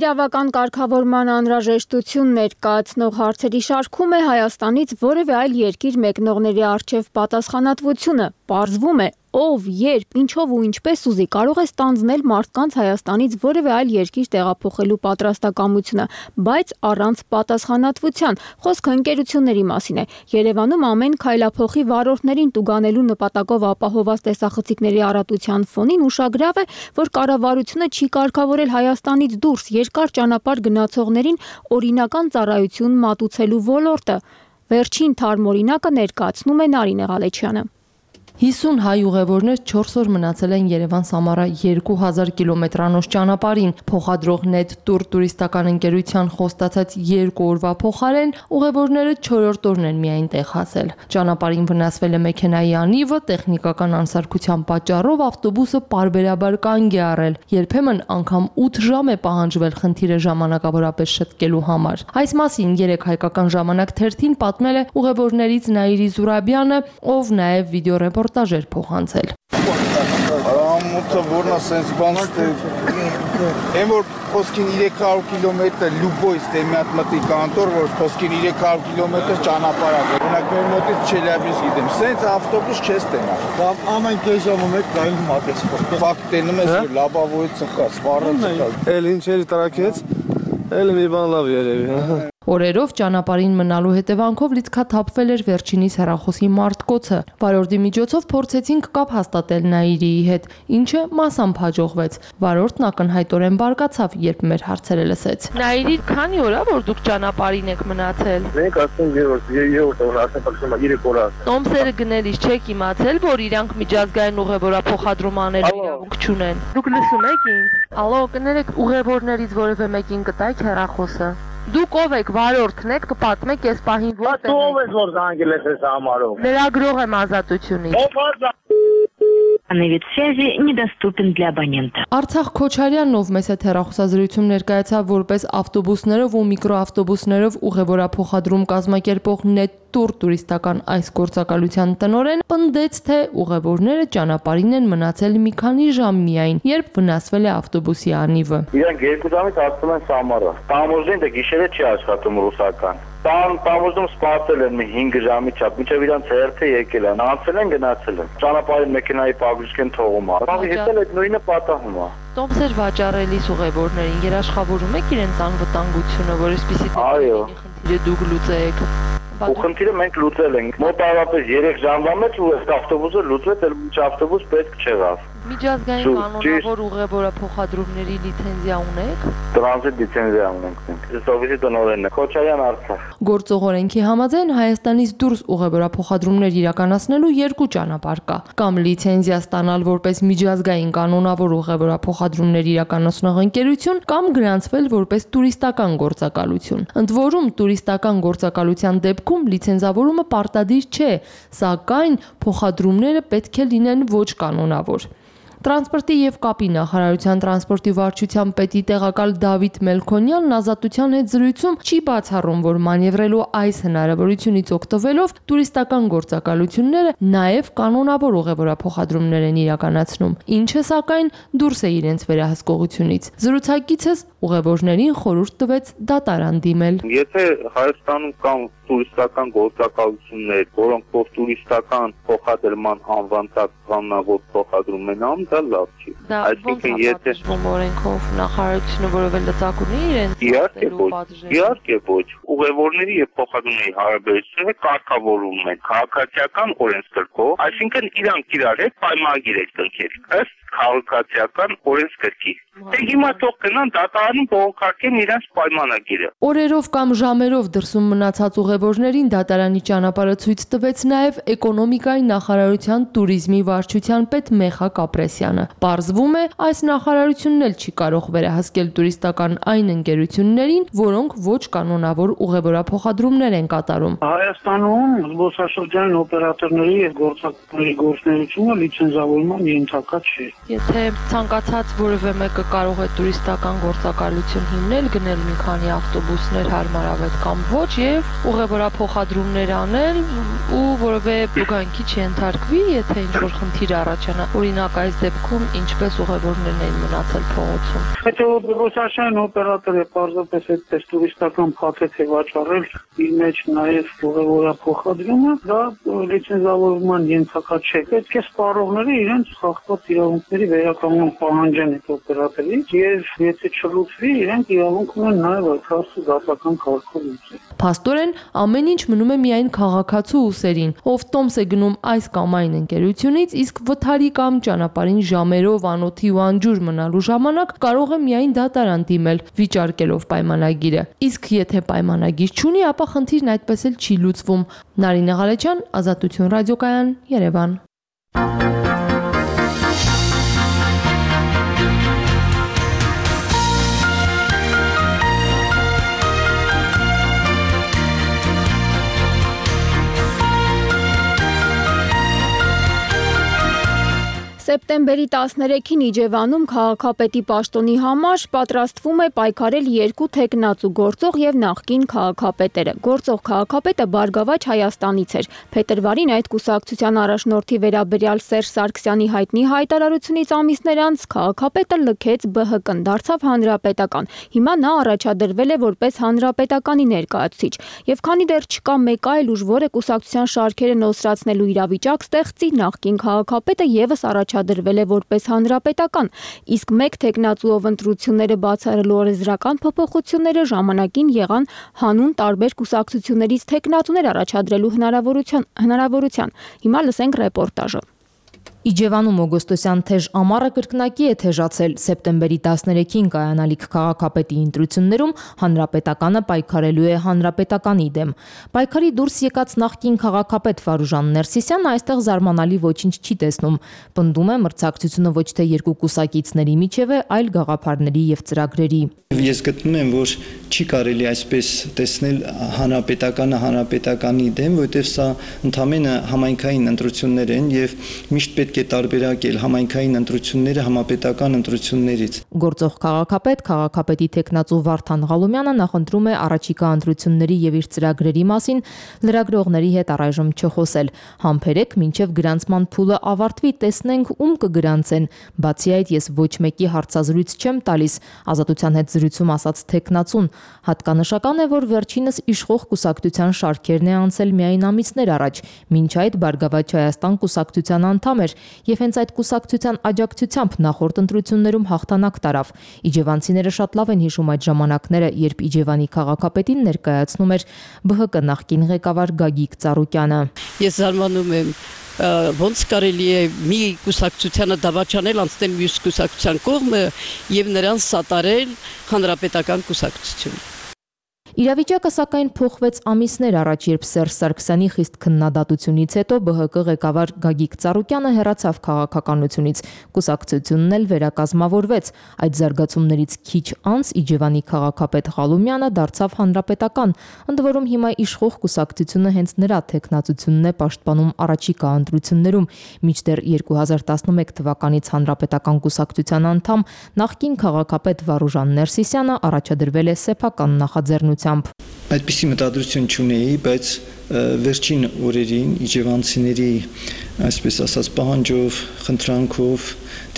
[SPEAKER 2] Իրավական կարգավորման անհրաժեշտություն ներկայացնող հարցերի շարքում է Հայաստանից որևէ այլ երկիր մեկնողների առջև պատասխանատվությունը։ Պարզվում է, ով, երբ, ինչով ու ինչպես ուզի կարող է ստանձնել մարդկանց Հայաստանից որևէ այլ երկիր տեղափոխելու պատրաստակամությունը, բայց առանց պատասխանատվության։ Խոսքը ընկերությունների մասին է։ Երևանում ամեն քայլափոխի վարորդներին տուգանելու նպատակով ապահովված տեսախցիկների առատության ֆոնին ուշագրավ է, որ կառավարությունը չի կարգավորել Հայաստանից դուրս երկար ճանապարհ գնացողներին օրինական ծառայություն մատուցելու ոլորտը։ Վերջին թարմ օրինակը ներկայացնում է Նարինե Ղալեչյանը։
[SPEAKER 12] 50 հայ ուղևորներ 4 օր մնացել են Երևան-Սամարա 2000 կիլոմետրանոց ճանապարհին։ Փոխադրող Net Tour տուրիստական ընկերության խոստացած 2 օրվա փոխարեն ուղևորները 4-րդ օրն են միայն տեղ հասել։ Ճանապարհին վնասվել է մեքենայի անիվը, տեխնիկական անսարքության պատճառով ավտոբուսը պարբերաբար կանգ է առել։ Երբեմն անգամ 8 ժամ է պահանջվել խնդիրը ժամանակավորապես շտկելու համար։ Այս մասին 3 հայկական ժամանակ թերթին պատմել է ուղևորներից Նաիրի Զուրաբյանը, ով նաև վիդեոռեպորտաժ էր փոխանցել։
[SPEAKER 20] մտքով որնա սենց բան այն որ խոսքին 300 կիլոմետր լուբոյից դե մի հատ մտի կանտոր որ խոսքին 300 կիլոմետր ճանապարհ է օրինակ մեր մոտից Չելյաբինսկ գիտեմ սենց ավտոբուս չես տենա կամ ամեն կես ժամը մեկ գայում մատես ֆակտ տենում ես որ լաբավոյից ծխա սպառը ծխա էլ ինչերի տրակեց էլ մի բան լավ երևի
[SPEAKER 21] Օրերով ճանապարհին մնալու հետևանքով լիցքաթափվել էր վերջինիս հեռախոսի մարտկոցը։ Վարորդի միջոցով փորձեցինք կապ հաստատել Նաիրիի հետ, ինչը մասամբ հաջողվեց։ Վարորդն ակնհայտորեն բարկացավ, երբ մեր հարցերը լսեց։ Նաիրի, քանի օր է որ դուք ճանապարհին եք մնացել։
[SPEAKER 22] Մենք ասում երրորդ օրը ասեմ փոխում 3 օր։
[SPEAKER 21] Տոմսերը գնելիս չեք իմացել, որ իրանք միջազգային ուղևորափոխադրում անելու իրավունք չունեն։ Դուք լսում եք ինձ։ Ալո, կներեք ուղևորներից որևէ մեկին կտայք հեռախոսը։ Դուք ով եք, վարորդն եք, կպատմեք այս պահին որտեղ եք։
[SPEAKER 22] Դու ով ես որ զանգել ես այս համարով։
[SPEAKER 21] Լրագրող եմ Ազատությունից։
[SPEAKER 23] Вид связи недоступен для абонента։
[SPEAKER 21] Արցախ Քոչարյանն, ով մեծ հեռախոսազրույցում ներկայացավ որպես ավտոբուսներով ու միկրոավտոբուսներով ուղևորափոխադրում կազմակերպող Նետտուր տուրիստական այս գործակալության տնօրեն, պնդեց, թե ուղևորները ճանապարհին են մնացել մի քանի ժամ միայն, երբ վնասվել է ավտոբուսի անիվը։
[SPEAKER 22] Իրանք 2 ժամից ասում են սամարը։ Տամոժին դե գիշերը չի աշխատում ռուսական։ Տամոժում սպասել են 5 ժամի չափ, մինչև իրանց հերթը եկել են, անցել են, գնացել են։ Ճանապարհին մեքենայի պագրիշկեն թողում է։ Բաղի հետել այդ նույնը պատահում է։
[SPEAKER 21] Տոմսեր վաճառելիս ուղևորներին երաշխավորում եք իրենց անվտանգությունը, որ այսպիսի խնդիրը դուք լուծեք։
[SPEAKER 22] Ու խնդիրը մենք լուծել ենք։ Մոտավորապես 3 ժամվա մեջ ու այս ավտոբուսը լուծվեց, այլ ոչ ավտոբուս պետք չեղավ։
[SPEAKER 21] Միջազգային կանոնավոր ուղևորափոխադրումների լիցենզիա ունեք։
[SPEAKER 22] Տրանզիտ լիցենզիա ունենք մենք։ Սովետի տնօրենն է Քոչարյան Արցախ։
[SPEAKER 21] Գործող օրենքի համաձայն Հայաստանից դուրս ուղևորափոխադրումներ իրականացնելու 2 ճանապարհ կա՝ կամ լիցենզիա ստանալ որպես միջազգային կանոնավոր ուղևորափոխադրումներ իրականացնող ընկերություն, կամ գրանցվել որպես տուրիստական գործակալություն։ Ընդ որում տուրիստական գործակալության դեպքում լիցենզավորումը պարտադիր չէ, սակայն փոխադրումները պետք է լինեն ոչ կանոնավոր։ Տրանսպորտի եւ կապի նախարարության տրանսպորտի վարչության պետի տեղակալ Դավիթ Մելքոնյանն Ազատության հետ զրույցում չի բացառում, որ մանևրելու այս հնարավորությունից օգտվելով տուրիստական գործակալությունները նաեւ կանոնավոր ուղևորափոխադրումներ են իրականացնում, ինչը սակայն դուրս է իրենց վերահսկողությունից։ Զրուցակիցս ուղևորներին խորհուրդ տվեց դատարան դիմել։
[SPEAKER 22] Եթե Հայաստանում կան տուրիստական գործակալություններ, որոնք որ տուրիստական փոխադրման անվանտակ կանոնավոր փոխադրում են անում, դա լավ չի։
[SPEAKER 21] Այսինքն եթե օրենքով նախարարությունը որևէ լծակ ունի իրենց
[SPEAKER 22] իհարկե ոչ, ուղևորների եւ փոխադրումների հարաբերությունները կարգավորվում են քաղաքացիական օրենսգրքով, այսինքն իրանք իրար հետ պայմանագիր են կնքել ըստ քաղաքացիական օրենսգրքի։ Դե հիմա թող գնան դատարանում բողոքարկեն իրենց պայմանագիրը։
[SPEAKER 21] Օրերով կամ ժամերով դրսում մնացած ուղևորներին դատարանի ճանապարհը ցույց տվեց նաև էկոնոմիկայի նախարարության տուրիզմի վարչության պետ Մեխակ Ապրեսյանը։ Պարզվում է, այս նախարարությունն էլ չի կարող վերահսկել տուրիստական այն ընկերություններին, որոնք ոչ կանոնավոր ուղևորափոխադրումներ են կատարում։
[SPEAKER 24] Հայաստանում զբոսաշրջանային օպերատորների եւ գործակալների գործունեությունը լիցենզավորման ենթակա չէ։
[SPEAKER 21] Եթե ցանկացած որևէ մեկը կարող է տուրիստական գործակալություն հիմնել, գնել մի քանի ավտոբուսներ հարմարավետ կամ ոչ եւ ուղևորափոխադրումներ անել ու որևէ բուգանքի չընթարկվի, եթե ինչ-որ խնդիր առաջանա։ Օրինակ այս դեպքում ինչպես ուղևորներն էին մնացել փողոցում։
[SPEAKER 24] Եթե զբոսաշրջանային օպերատորը պարզապես այդպես տուրիստական փաթեթ է վաճառել, իր մեջ նաեւ ուղևորափոխադրումը, դա լիցենզավորման ենթակա չէ։ Պետք է սպառողները իրենց խախտված իրավունքների վերականգնում պահանջեն այդ օպերատորից եւ եթե չլուծվի, իրենք իրավունք ունեն նաեւ այդ հարցը դատական կարգով լուծել։
[SPEAKER 21] Փաստորեն ամեն ինչ մնում է միայն քաղաքացու ուսերին, ով տոմս է գնում այս կամ այն ընկերությունից, իսկ վթարի կամ ճանապարհին ժամերով անոթի ու անջուր մնալու ժամանակ կարող է միայն դատարան դիմել, վիճարկելով պայմանագիրը։ Իսկ եթե պայմանագիր չունի, ապա խնդիրն այդպես էլ չի լուծվում։ Նարինե Ղալեչյան, Ազատություն ռադիոկայան, Երևան։
[SPEAKER 2] Սեպտեմբերի Սեպտեմբերի 13-ին Իջևանում քաղաքապետի պաշտոնի համար պատրաստվում է պայքարել երկու թեկնածու գործող եւ նախկին քաղաքապետերը։ Գործող քաղաքապետը Բարգավաճ Հայաստանից էր։ Փետրվարին այդ կուսակցության առաջնորդի վերաբերյալ Սերժ Սարգսյանի հայտնի հայտարարությունից ամիսներ անց քաղաքապետը լքեց ԲՀԿ-ն, դարձավ հանրապետական։ Հիմա նա առաջադրվել է որպես հանրապետականի ներկայացուցիչ։ Եվ քանի դեռ չկա մեկ այլ ուժ, որը կուսակցության շարքերը նոսրացնելու իրավիճակ ստեղծի, նախկին քաղաքապետը եւս առաջադրվել է որպես հանրապետական, իսկ մեկ թեկնածուով ընտրությունները բացառելու օրենսդրական փոփոխությունները ժամանակին եղան հանուն տարբեր կուսակցություններից թեկնածուներ առաջադրելու հնարավորության։ Հիմա լսենք ռեպորտաժը։
[SPEAKER 1] Իջևանում օգոստոսյան թեժ ամառը կրկնակի է թեժացել։ Սեպտեմբերի 13-ին կայանալիք քաղաքապետի ընտրություններում հանրապետականը պայքարելու է հանրապետականի դեմ։ Պայքարի դուրս եկած նախկին քաղաքապետ Վարուժան Ներսիսյանը այստեղ զարմանալի ոչինչ չի տեսնում։ Պնդում է, մրցակցությունը ոչ թե երկու կուսակիցների միջև է, այլ գաղափարների եւ ծրագրերի։
[SPEAKER 3] Ես գտնում եմ, որ չի կարելի այսպես տեսնել հանրապետականը հանրապետականի դեմ, որովհետև սա ընդամենը համայնքային ընտրություններ են եւ միշտ պետք է տարբերակել համայնքային ընտրությունները համապետական ընտրություններից։
[SPEAKER 1] Գործող քաղաքապետ, քաղաքապետի թեկնածու Վարդան Ղալումյանը նախընտրում է առաջիկա ընտրությունների եւ իր ծրագրերի մասին լրագրողների հետ առայժմ չխոսել։ Համբերեք մինչեւ գրանցման փուլը ավարտվի, տեսնենք ում կգրանցեն։ Բացի այդ, ես ոչ մեկի հարցազրույց չեմ տալիս, Ազատության հետ զրույցում ասաց թեկնածուն։ Հատկանշական է, որ վերջինս իշխող կուսակցության շարքերն է անցել միայն ամիսներ առաջ, մինչ այդ Բարգավաճ Հայաստան կուսակցության անդամ էր եւ հենց այդ կուսակցության աջակցությամբ նախորդ ընտրություններում հաղթանակ տարավ։ Իջևանցիները շատ լավ են հիշում այդ ժամանակները, երբ Իջևանի քաղաքապետին ներկայացնում էր ԲՀԿ նախկին ղեկավար Գագիկ Ծառուկյանը։
[SPEAKER 4] Ես զարմանում եմ, ոնց կարելի է մի կուսակցությանը դավաճանել անցնել մյուս կուսակցության կողմը եւ նրանց սատարել հանրապետական կուսակցություն։
[SPEAKER 1] Իրավիճակը սակայն փոխվեց ամիսներ առաջ, երբ Սերժ Սարգսյանի խիստ քննադատությունից հետո ԲՀԿ ղեկավար Գագիկ Ծառուկյանը հեռացավ քաղաքականությունից, կուսակցությունն էլ վերակազմավորվեց։ Այդ զարգացումներից քիչ անց Իջևանի քաղաքապետ Ղալումյանը դարձավ հանրապետական, ընդ որում հիմա իշխող կուսակցությունը հենց նրա թեկնածությունն է պաշտպանում առաջիկա ընտրություններում։ Մինչդեռ 2011 թվականից հանրապետական կուսակցության անդամ նախկին քաղաքապետ Վարուժան Ներսիսյանը առաջադրվել է սեփական նախաձեռնությամբ։
[SPEAKER 3] Այդպիսի մտադրություն չունեի, բայց վերջին օրերին իջևանցիների, այսպես ասած, պահանջով, խնդրանքով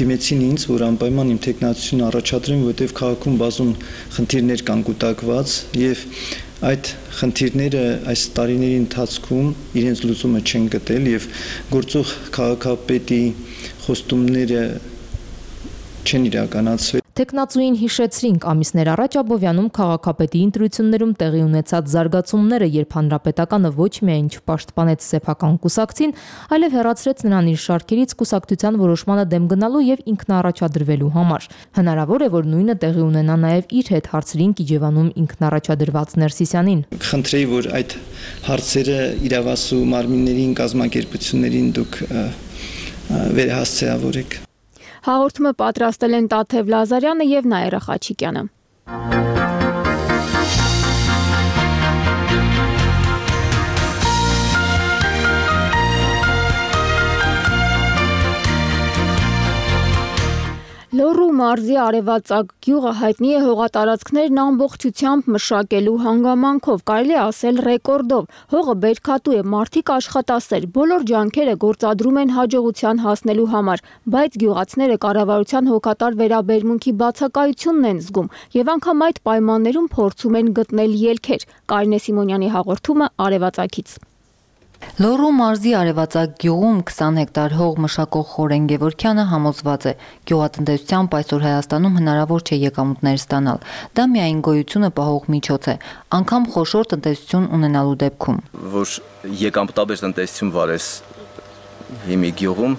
[SPEAKER 3] դիմեցին ինձ, որ անպայման իմ թեկնածությունը առաջադրեմ, որովհետև քաղաքում բազում խնդիրներ կան կուտակված եւ այդ խնդիրները այս տարիների ընթացքում իրենց լուծումը չեն գտել եւ գործող քաղաքապետի խոստումները չեն իրականացվել։
[SPEAKER 1] Թեկնածուին հիշեցրինք ամիսներ առաջ Աբովյանում քաղաքապետի ընտրություններում տեղի ունեցած զարգացումները, երբ հանրապետականը ոչ միայն չպաշտպանեց սեփական կուսակցին, այլև հեռացրեց նրան իր շարքերից կուսակցության որոշմանը դեմ գնալու եւ ինքնաառաջադրվելու համար։ Հնարավոր է, որ նույնը տեղի ունենա նաեւ իր հետ, հարցրինք Իջևանում ինքնաառաջադրված Ներսիսյանին։
[SPEAKER 3] Խնդրեի, որ այդ հարցերը իրավասու մարմիններին, կազմակերպություններին դուք վերահասցեավորեք։
[SPEAKER 2] Հաղորդումը պատրաստել են Տաթև Լազարյանը եւ Նաիրա Խաչիկյանը։ Լոռու մարզի Արևածագ գյուղը հայտնի է հողատարածքներն ամբողջությամբ մշակելու հանգամանքով, կարելի է ասել ռեկորդով։ Հողը բերքատու է, մարդիկ աշխատասեր, բոլոր ջանքերը գործադրում են հաջողության հասնելու համար, բայց գյուղացիները կառավարության հոգատար վերաբերմունքի բացակայությունն են զգում եւ անգամ այդ պայմաններում փորձում են գտնել ելքեր։ Կարինե Սիմոնյանի հաղորդումը Արևածագից։
[SPEAKER 5] Լոռու մարզի Արևածագ գյուղում 20 հեկտար հող մշակող Խորեն Գևորգյանը համոզված է, գյուղատնտեսությամբ այսօր Հայաստանում հնարավոր չէ եկամուտներ ստանալ։ Դա միայն գոյությունը պահող միջոց է, անգամ խոշոր տնտեսություն ունենալու դեպքում։
[SPEAKER 25] Որ եկամտաբեր տնտեսություն վարես հիմի գյուղում,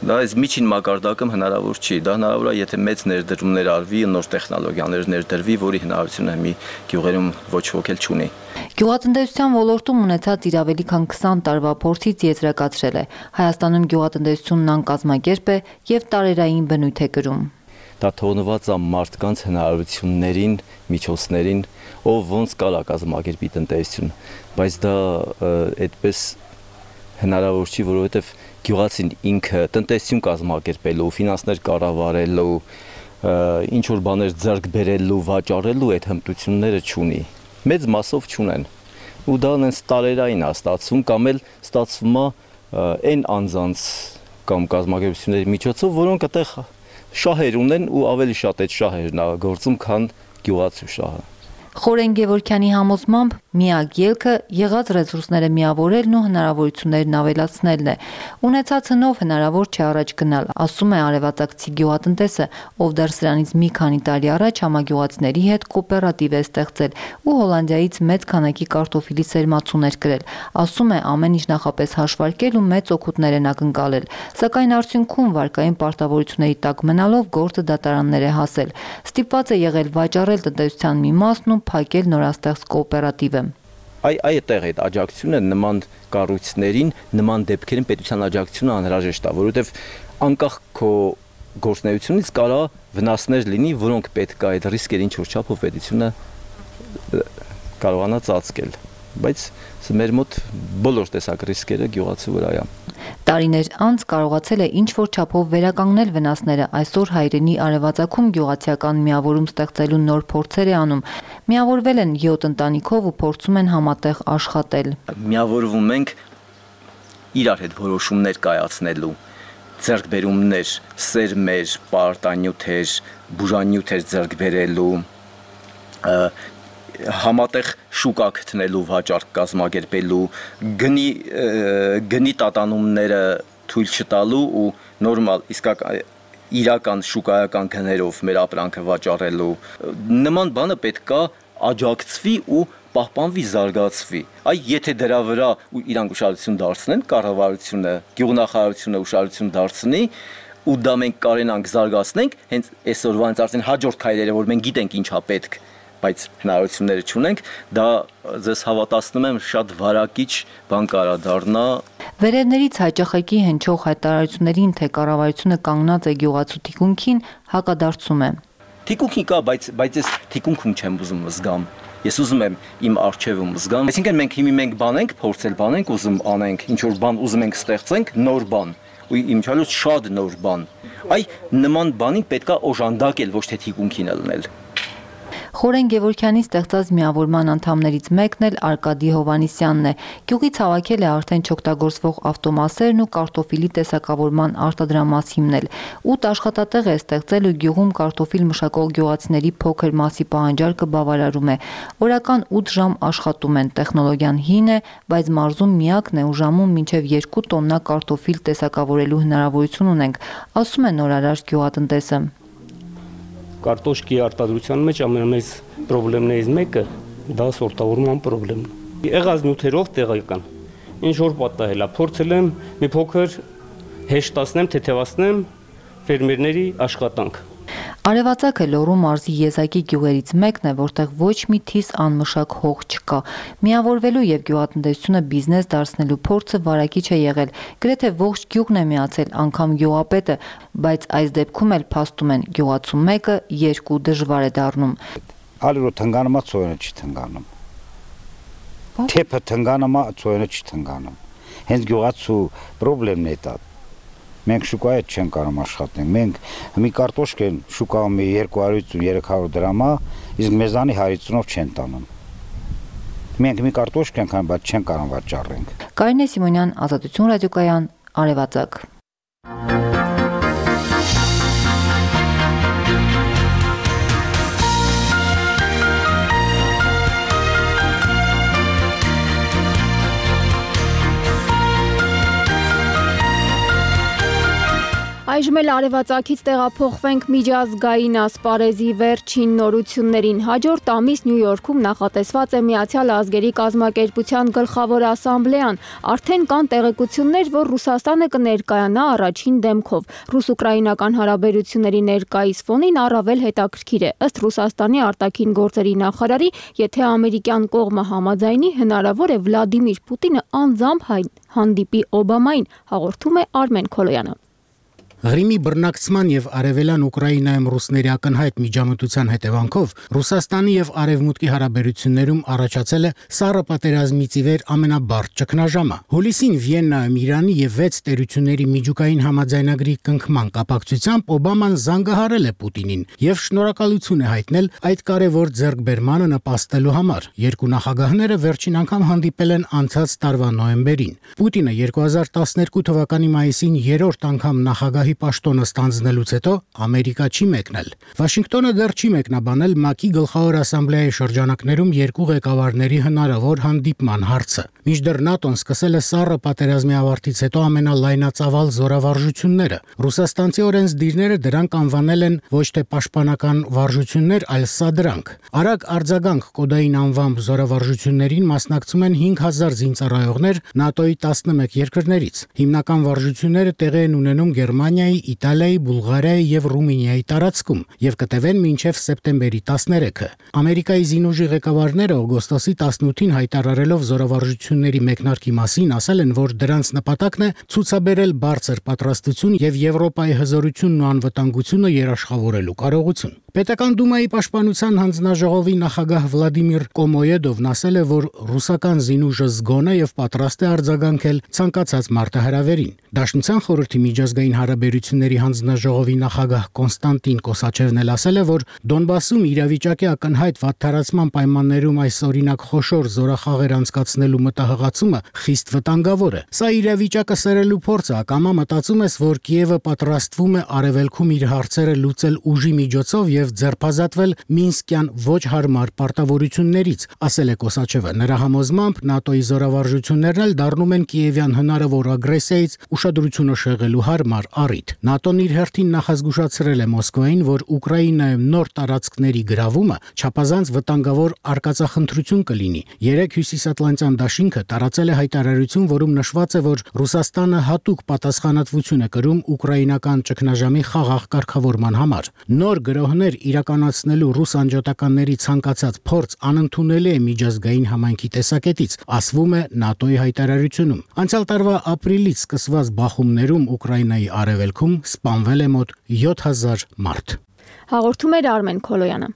[SPEAKER 25] դա այս միջին մակարդակում հնարավոր չի։ Դա հնարավոր է, եթե մեծ ներդրումներ արվի, նոր տեխնոլոգիաներ ներդրվի, որի հնարավորությունը մի գյուղերում ոչ ոք էլ չունի։
[SPEAKER 5] Գյուղատնտեսության ոլորտում ունեցած իր ավելի քան 20 տարվա փորձից եզրակացրել է։ Հայաստանում գյուղատնտեսությունն անկազմակերպ է եւ տարերային բնույթ է կրում։
[SPEAKER 25] Դա թողնված է մարդկանց հնարավորություններին, միջոցներին, ով ոնց կարա կազմակերպի տնտեսություն, բայց դա այդպես հնարավոր չի, որովհետեւ գյուղացին ինքը տնտեսություն կազմակերպելու, ֆինանսներ կառավարելու, ինչ որ բաներ ձեռք բերելու, վաճառելու այդ հմտությունները չունի։ Մեծ մասով չունեն։ Ու դա նենց տարերային է ստացվում, կամ էլ ստացվում է այն անձանց կամ կազմակերպությունների միջոցով, որոնք այդտեղ շահեր ունեն ու ավելի շատ այդ շահերն է գործում, քան գյուղացու շահը։
[SPEAKER 5] Խորեն Գևորգյանի համոզմամբ միակ ելքը եղած ռեսուրսները միավորելն ու հնարավորություններն ավելացնելն է։ Ունեցած հնով հնարավոր չէ առաջ գնալ, ասում է արևածագցի գյուղատնտեսը, ով դեռ սրանից մի քանի տարի առաջ համագյուղացիների հետ կոոպերատիվ է ստեղծել ու Հոլանդիայից մեծ քանակի կարտոֆիլի սերմացուներ կրել։ Ասում է ամեն ինչ նախապես հաշվարկել ու մեծ օգուտներ են ակնկալել, սակայն արդյունքում վարկային պարտավորությունների տակ մնալով գործը դատարաններ է հասել։ Ստիպված է եղել վաճառել տնտեսության մի մասն ու փակել նորաստեղծ կոոպերատիվը։
[SPEAKER 25] Այդտեղ այդ աջակցությունը նման կառույցներին, նման դեպքերին պետության աջակցությունը անհրաժեշտ է, որովհետև անկախ քո գործունեությունից կարա վնասներ լինի, որոնք պետք է այդ ռիսկերին ինչ-որ չափով պետությունը կարողանա ծածկել, բայց մեր մոտ բոլոր տեսակ ռիսկերը գյուղացու վրա է։
[SPEAKER 5] Տարիներ անց կարողացել է ինչ-որ չափով վերականգնել վնասները, այսօր հայրենի արևածագում գյուղացիական միավորում ստեղծելու նոր փորձեր է անում։ Միավորվել են 7 ընտանիքով ու փորձում են համատեղ աշխատել։
[SPEAKER 25] Միավորվում ենք իրար հետ որոշումներ կայացնելու, ձեռքբերումներ, սերմեր, պարտանյութեր, բուժանյութեր ձեռք բերելու, համատեղ շուկա գտնելու, վաճառք կազմակերպելու, գնի տատանումները թույլ չտալու ու նորմալ իրական շուկայական գներով մեր ապրանքը վաճառելու։ Նման բանը պետք է աջակցվի ու պահպանվի, զարգացվի։ Եթե դրա վրա իրանք ուշադրություն դարձնեն, կառավարությունը, գյուղնախարարությունը ուշադրություն դարձնի, ու դա մենք կարենանք զարգացնենք, հենց այսօրվանից արդեն հաջորդ քայլերը, որ մենք գիտենք ինչա պետք, բայց հնարավորությունները չունենք, դա ձեզ հավատացնում եմ շատ վարակիչ բան կարա դառնա։
[SPEAKER 5] Վերևներից հաճախակի հնչող հայտարարություններին, թե կառավարությունը կանգնած է գյուղացու թիկունքին, հակադարձում է։
[SPEAKER 25] Թիկունքի կա, բայց ես թիկունքում չեմ ուզում զգամ։ Ես ուզում եմ իմ արջևում զգամ։ Այսինքն մենք հիմի բանենք, փորձել բանենք, ուզում անենք, ինչ որ բան ուզում ենք ստեղծենք, նոր բան, ու իմչալուց շատ նոր բան։ Նման բանին պետքա օժանդակել, ոչ թե թիկունքին լնել։
[SPEAKER 5] Խորեն Գևորգյանի ստեղծած միավորման անդամներից մեկն էլ Արկադի Հովանիսյանն է։ Գյուղից հավաքել է արդեն չօգտագործվող ավտոմասերն ու կարտոֆիլի տեսակավորման արտադրամաս հիմնել։ 8 աշխատատեղ է ստեղծել ու գյուղում կարտոֆիլ մշակող գյուղացիների փոքր մասի պահանջարկը բավարարում է։ Օրական 8 ժամ աշխատում են, տեխնոլոգիան հին է, բայց մարզում միակն է ու ժամում մինչև 2 տոննա կարտոֆիլ տեսակավորելու հնարավորություն ունենք, ասում է նորարար գյուղատնտեսը։
[SPEAKER 6] Կարտոշկի արտադրության մեջ ամենամեծ խնդիրներից մեկը դա սորտավորման խնդիրն է։ Եղած նյութերով տեղական ինչ որ պատահել է, փորձել եմ մի փոքր հեշտացնեմ, թեթևացնեմ ֆերմերների աշխատանք։
[SPEAKER 5] Արևածագը Լոռու մարզի եզակի գյուղերից մեկն է, որտեղ ոչ մի թիս անմշակ հող չկա։ Միավորվելու եւ գյուղատնտեսությունը բիզնես դարձնելու փորձը վարակիչ է եղել։ Գրեթե ողջ գյուղն է միացել, անգամ գյուղապետը, բայց այս դեպքում էլ փաստում են գյուղացու մեկը 2 դժվար է դառնում։
[SPEAKER 8] Ալիրո թնգանումա ծոյնը չի թնգանում։ Թեփը թնգանումա ծոյնը չի թնգանում։ Հենց գյուղացու խնդիրն է դա։ Մենք շուկայի չենք կարող աշխատենք։ Մենք մի կարտոշկեն շուկայում 250-300 դրամա, իսկ մեզանի 150-ով չեն տանում։ Մենք մի կարտոշկ ենք անում, բայց չեն կարող վաճառենք։
[SPEAKER 5] Կարինե Սիմոնյան, Ազատություն ռադիոկայան, Արևածագ։
[SPEAKER 2] Այժմ էլ արևածագից տեղափոխվենք միջազգային ասպարեզի վերջին նորություններին։ Հաջորդ ամիս Նյու Յորքում նախատեսված է Միացյալ Ազգերի կազմակերպության գլխավոր ասամբլեան։ Արդեն կան տեղեկություններ, որ Ռուսաստանը կներկայանա առաջին դեմքով։ Ռուս-ուկրաինական հարաբերությունների ներկայիս ֆոնին առավել հետաքրքիր է, ըստ Ռուսաստանի արտաքին գործերի նախարարի, եթե ամերիկյան կողմը համաձայնի, հնարավոր է Վլադիմիր Պուտինը անձամբ հանդիպի Օբամային, հաղորդում է Արմեն Քոլոյանը։
[SPEAKER 9] Ղրիմի բռնակցման եւ արևելյան Ուկրաինայում ռուսների ակնհայտ միջամտության հետևանքով Ռուսաստանի եւ Արևմուտքի հարաբերություններում առաջացել է սառը պատերազմից ի վեր ամենաբարդ ճգնաժամը։ Հուլիսին Վիեննայում Իրանի եւ 6 տերությունների միջուկային համաձայնագրի կնքման կապակցությամբ Օբաման զանգահարել է Պուտինին եւ շնորհակալություն է հայտնել այդ կարևոր ձեռքբերմանը նպաստելու համար։ Երկու նախագահները վերջին անգամ հանդիպել են անցած տարվա նոյեմբերին։ Պուտինը 2012 թվականի մայիսին երրորդ անգամ նախագահի պաշտոնը ստանձնելուց հետո Ամերիկա չի մեկնել։ Վաշինգտոնը դեռ չի մեկնաբանել ՄԱԿ-ի գլխավոր ասամբլեայի շրջանակներում երկու ղեկավարների հնարավոր հանդիպման հարցը։ Մինչդեռ ՆԱՏՕ-ն սկսել է սառը պատերազմի ավարտից հետո ամենալայնածավալ զորավարժությունները։ Ռուսաստանցի օրենսդիրները դրանք անվանել են ոչ թե պաշտպանական վարժություններ, այլ սադրանք։ Արագ արձագանք կոդային անվամբ զորավարժություններին մասնակցում են 5000 զինծառայողներ ՆԱՏՕ-ի 11 երկրներից։ Հիմնական վարժությունները տեղի են ունենում Գերմանիայի, Իտալիայի, Բուլղարիայի եւ Ռումինիայի տարածքում եւ կտևեն մինչեւ սեպտեմբերի 13-ը։ Ամերիկայի զինուժի ղեկավարները օգոստոսի 18-ին հայտարարելով զորավարժությունների մեկնարկի մասին ասել են, որ դրանց նպատակն է ցուցաբերել բարձր պատրաստություն եւ Եվրոպայի հզորությունն ու անվտանգությունը երաշխավորելու կարողություն։ Պետական դումայի պաշտպանության հանձնաժողովի նախագահ Վլադիմիր Կոմոյեդովն ասել է, որ ռուսական զինուժը զգոն է եւ պատրաստ է արձագանքել ցանկացած մարտահրավերին։ Դաշնության խորհրդի միջազգային հարաբերությունների հանձնաժողովի նախագահ Կոնստանտին Կոսաչևն էլ ասել է, որ Դոնբասում իրավիճակի ակնհայտ վատթարացման պայմաններում այս օրինակ խոշոր զորախաղեր անցկացնելու մտահղացումը խիստ վտանգավոր է։ Սա իրավիճակը սերելու փորձ է, ակամա մտածում ես, որ Կիևը պատրաստվում է արևելքում իր հարցերը լուծել ուժի միջոցով եւ ձերբազատվել Մինսկյան ոչ հարմար պարտավորություններից, ասել է Կոսաչևը։ Նրա համոզմամբ ՆԱՏՕ-ի զորավարժություններն էլ դառնում են Կիևյան հնարավոր ագրեսիայից ուշադրությունը շեղելու հարմար առիթ։ ՆԱՏՕ-ն իր հերթին նախազգուշացրել է Մոսկվային, որ Ուկրաինայում նոր տարածքների գրավումը չափազանց վտանգավոր արկածախնդրություն կլինի։ Երեք Հյուսիսատլանտյան դաշինքը տարածել է հայտարարություն, որում նշված է, որ Ռուսաստանը հատուկ պատասխանատվություն է կրում ուկրաինական ճգնաժամի խաղաղ կարգավորման համար։ Նոր գրոհներ իրականացնելու ռուս անջատականների ցանկացած փորձ անընդունելի է միջազգային համայնքի տեսակետից, ասվում է ՆԱՏՕ-ի հայտարարությունում։ Անցյալ տարվա ապրիլից սկսված բախումներում Ուկրաինայի արևելքում սպանվել է մոտ 7000 մարդ։
[SPEAKER 2] Հաղորդում էր Արմեն Քոլոյանը։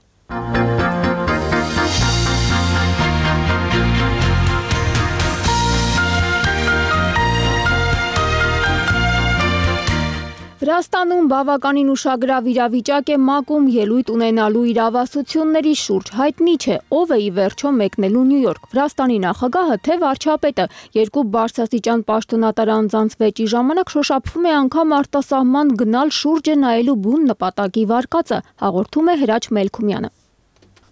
[SPEAKER 2] Վրաստանում բավականին ուշագրավ իրավիճակ է ՄԱԿ-ում ելույթ ունենալու իրավասությունների շուրջ։ Հայտնի չէ, ով է ի վերջո մեկնելու Նյու Յորք։ Վրաստանի նախագահը թե վարչապետը երկու բարձրաստիճան պաշտոնատար անձանց վեճի ժամանակ շոշափվում է անգամ արտասահման գնալ շուրջը նայելու բուն նպատակի վարկածը, հաղորդում է Հրաչ Մելքումյանը։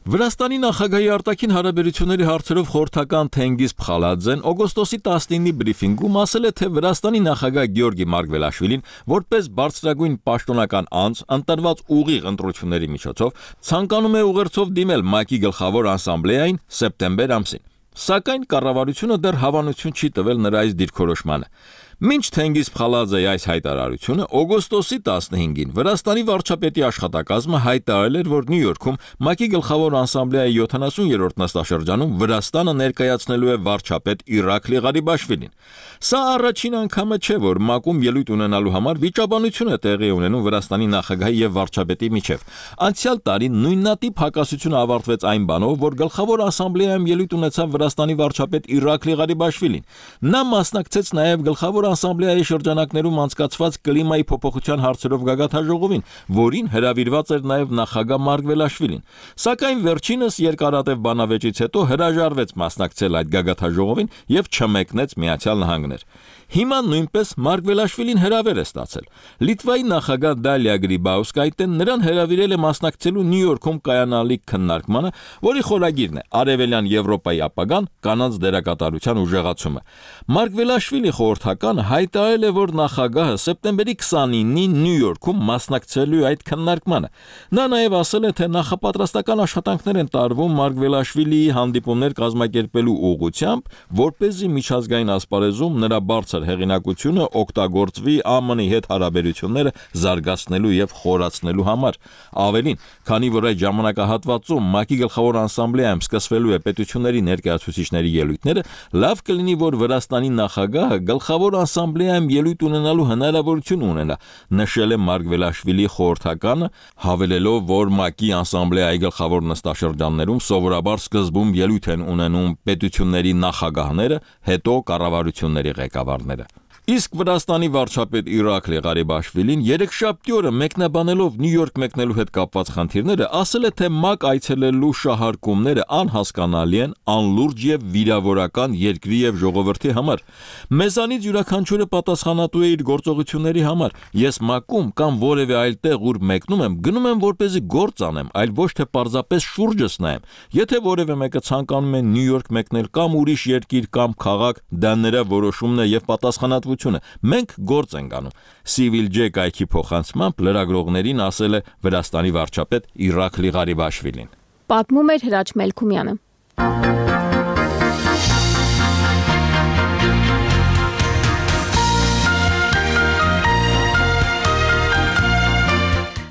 [SPEAKER 10] Վրաստանի նախագահի արտաքին հարաբերությունների հարցերով խորհրդական Թենգիզ Փխալաձեն օգոստոսի 19-ի բրիֆինգում ասել է, թե Վրաստանի նախագահ Գեորգի Մարգվելաշվիլին որպես բարձրագույն պաշտոնական անձ ընտրված ուղիղ ընտրությունների միջոցով ցանկանում է ուղերձով դիմել ՄԱԿ-ի գլխավոր ասամբլեային սեպտեմբեր ամսին։ Սակայն կառավարությունը դեռ հավանություն չի տվել նրա այս դիրքորոշմանը։ Մինչ Թենգիզ Փխալաձեի այս հայտարարությունը օգոստոսի 15-ին Վրաստանի վարչապետի աշխատակազմը հայտարարել էր, որ Նյու Յորքում ՄԱԿ-ի գլխավոր ասամբլեայի 70-րդ նստաշրջանում Վրաստանը ներկայացնելու է վարչապետ Իրաքլի Ղարիբաշվիլին։ Սա առաջին անգամը չէ, որ ՄԱԿ-ում ելույթ ունենալու համար վիճաբանություն է տեղի ունենում Վրաստանի նախագահի եւ վարչապետի միջև։ Անցյալ տարի նույնատիպ հակասությունը ավարտվեց այն բանով, որ գլխավոր ասամբլեայում ելույթ ունեցավ Վրաստանի վարչապետ Իրաքլի Ղարիբաշվիլին։ Նա մասնակցեց նաեւ գլխավոր ասամբլեայի շրջանակներում անցկացված կլիմայի փոփոխության հարցերով գագաթաժողովին, որին հրավիրված էր նաև նախագահ Մարգվելաշվիլին։ Սակայն վերջինս երկարատև բանավեճից հետո հրաժարվեց մասնակցել այդ գագաթաժողովին եւ չմեկնեց Միացյալ Նահանգներ։ Հիմա նույնպես Մարգվելաշվիլին հրավեր է ստացել։ Լիտվայի նախագահ Դալիա Գրիբաուսկայտեն նրան հրավիրել է մասնակցելու Նյու Յորքում կայանալիք քննարկմանը, որի խորագիրն է Արևելյան Եվրոպայի ապագան, կանանց դերակատարության ուժեղացումը։ Մարգվելաշվիլի խորհրդականը հայտարարել է, որ նախագահը սեպտեմբերի 29-ին Նյու Յորքում մասնակցելու այդ քննարկմանը։ Նա նաև ասել է, թե նախապատրաստական աշխատանքներ են տարվում Մարգվելաշվիլիի հանդիպումներ կազմակերպելու ուղղությամբ, որպեսզի միջազգային ասպարեզում նրա բարձր բարձր հեղինակությունը օգտագործվի ԱՄՆ-ի հետ հարաբերությունները զարգացնելու եւ խորացնելու համար։ Ավելին, քանի որ այդ ժամանակահատվածում ՄԱԿ-ի գլխավոր ասամբլեայում սկսվելու է պետությունների ներկայացուցիչների ելույթները, լավ կլինի, որ Վրաստանի նախագահը գլխավոր ասամբլեայում ելույթ ունենալու հնարավորություն ունենա, նշել է Մարգվելաշվիլի խորհրդականը, հավելելով, որ ՄԱԿ-ի ասամբլեայի գլխավոր նստաշրջաններում սովորաբար սկզբում ելույթ են ունենում պետությունների նախագահները, հետո կառավարությունների ղեկավարները։ Իսկ Վրաստանի վարչապետ Իրաքլի Ղարիբաշվիլին երեքշաբթի օրը մեկնաբանելով Նյու Յորք մեկնելու հետ կապված խնդիրները, ասել է, թե ՄԱԿ այցելելու շահարկումները անհասկանալի են, անլուրջ եւ վիրավորական երկրի եւ ժողովրդի համար։ Մեզանից յուրաքանչյուրը պատասխանատու է իր գործողությունների համար։ Ես ՄԱԿ-ում կամ որևէ այլ տեղ, ուր մեկնում եմ, գնում եմ որպեսզի գործ անեմ, այլ ոչ թե պարզապես շուրջս նայեմ։ Եթե որևէ մեկը ցանկանում է Նյու Յորք մեկնել կամ ուրիշ երկիր կամ քաղաք, դա նրա որոշումն է եւ պատասխանատվությունը։ Մենք գործ ենք անում։ Civil J կայքի փոխանցմամբ լրագրողներին ասել է Վրաստանի վարչապետ Իրաքլի Ղարիբաշվիլին։
[SPEAKER 2] Պատմում էր Հրաչ Մելքումյանը։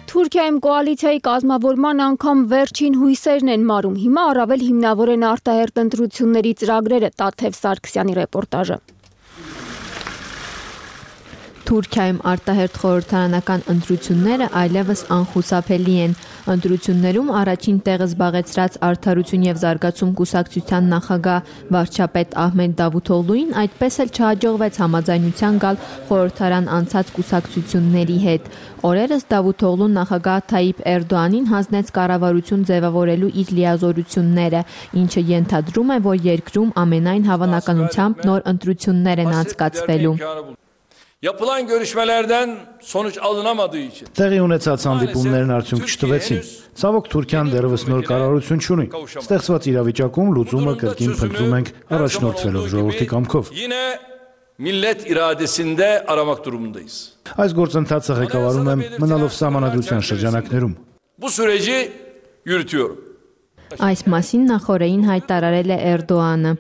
[SPEAKER 2] Թուրքիայում կոալիցիայի կազմավորման անգամ վերջին հույսերն են մարում։ Հիմա առավել հիմնավոր են արտահերտ ընտրությունների ծրագրերը, Տաթև Սարգսյանի ռեպորտաժը։
[SPEAKER 1] Թուրքիայում արտահերթ խորհրդարանական ընտրությունները այլևս անխուսափելի են։ Ընտրություններում առաջին տեղը զբաղեցրած Արդարություն եւ զարգացում կուսակցության նախագահ վարչապետ Ահմեդ Դավութօղլուին այդպես էլ չհաջողվեց համաձայնության գալ խորհրդարան անցած կուսակցությունների հետ։ Օրերս Դավութօղլուն նախագահ Թայիպ Էրդոանին հանձնեց կառավարություն ձևավորելու իր լիազորությունները, ինչը ենթադրում է, որ երկրում ամենայն հավանականությամբ նոր ընտրություններ են անցկացվելու։
[SPEAKER 7] Yapılan görüşmelerden sonuç alınamadığı için.
[SPEAKER 11] Տեղի ունեցած հանդիպումներն արդյունք չտվեցին։ Ցավոք Թուրքիան դեռևս նոր կառավարություն չունի։ Ստեղծված իրավիճակում լուծումը կրկին փնտրում ենք առաջնորդվելով ժողովրդի կամքով։
[SPEAKER 7] Yine millet iradesinde aramak durumundayız.
[SPEAKER 11] Այս գործընթացը ղեկավարում եմ մնալով սահմանադրության շրջանակներում։
[SPEAKER 7] Bu süreci yürütüyorum.
[SPEAKER 1] Այս մասին նախորդին հայտարարել է Էրդոանը։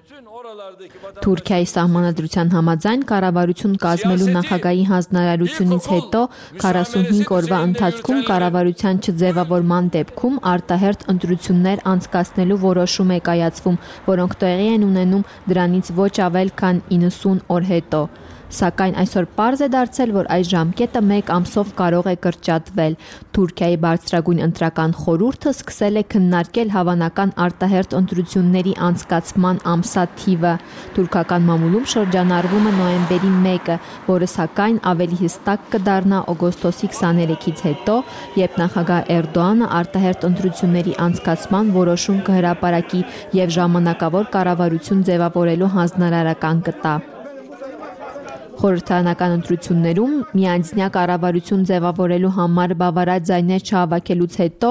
[SPEAKER 1] Թուրքիայի սահմանադրության համաձայն կառավարություն կազմելու նախագահի հանձնարարությունից հետո 45 օրվա ընթացքում կառավարության չձևավորման դեպքում արտահերթ ընտրություններ անցկացնելու որոշում է կայացվում, որոնք տեղի են ունենում դրանից ոչ ավել քան 90 օր հետո։ Սակայն այսօր պարզ է դարձել, որ այս ժամկետը 1 ամսով կարող է կրճատվել։ Թուրքիայի բարձրագույն ընտրական խորհուրդը սկսել է քննարկել հավանական արտահերթ ընտրությունների անցկացման ամսաթիվը։ Թուրքական մամուլում շրջանառվում է նոյեմբերի 1-ը, որը սակայն ավելի հստակ կդառնա օգոստոսի 23-ից հետո, երբ նախագահ Էրդոանը արտահերթ ընտրությունների անցկացման որոշում կհրապարակի եւ ժամանակավոր կառավարություն ձևավորելու հանձնարարական կտա։ Խորհրդարանական ընտրություններում միանձնյա կառավարություն ձևավորելու համար բավարար ձայներ չհավաքելուց հետո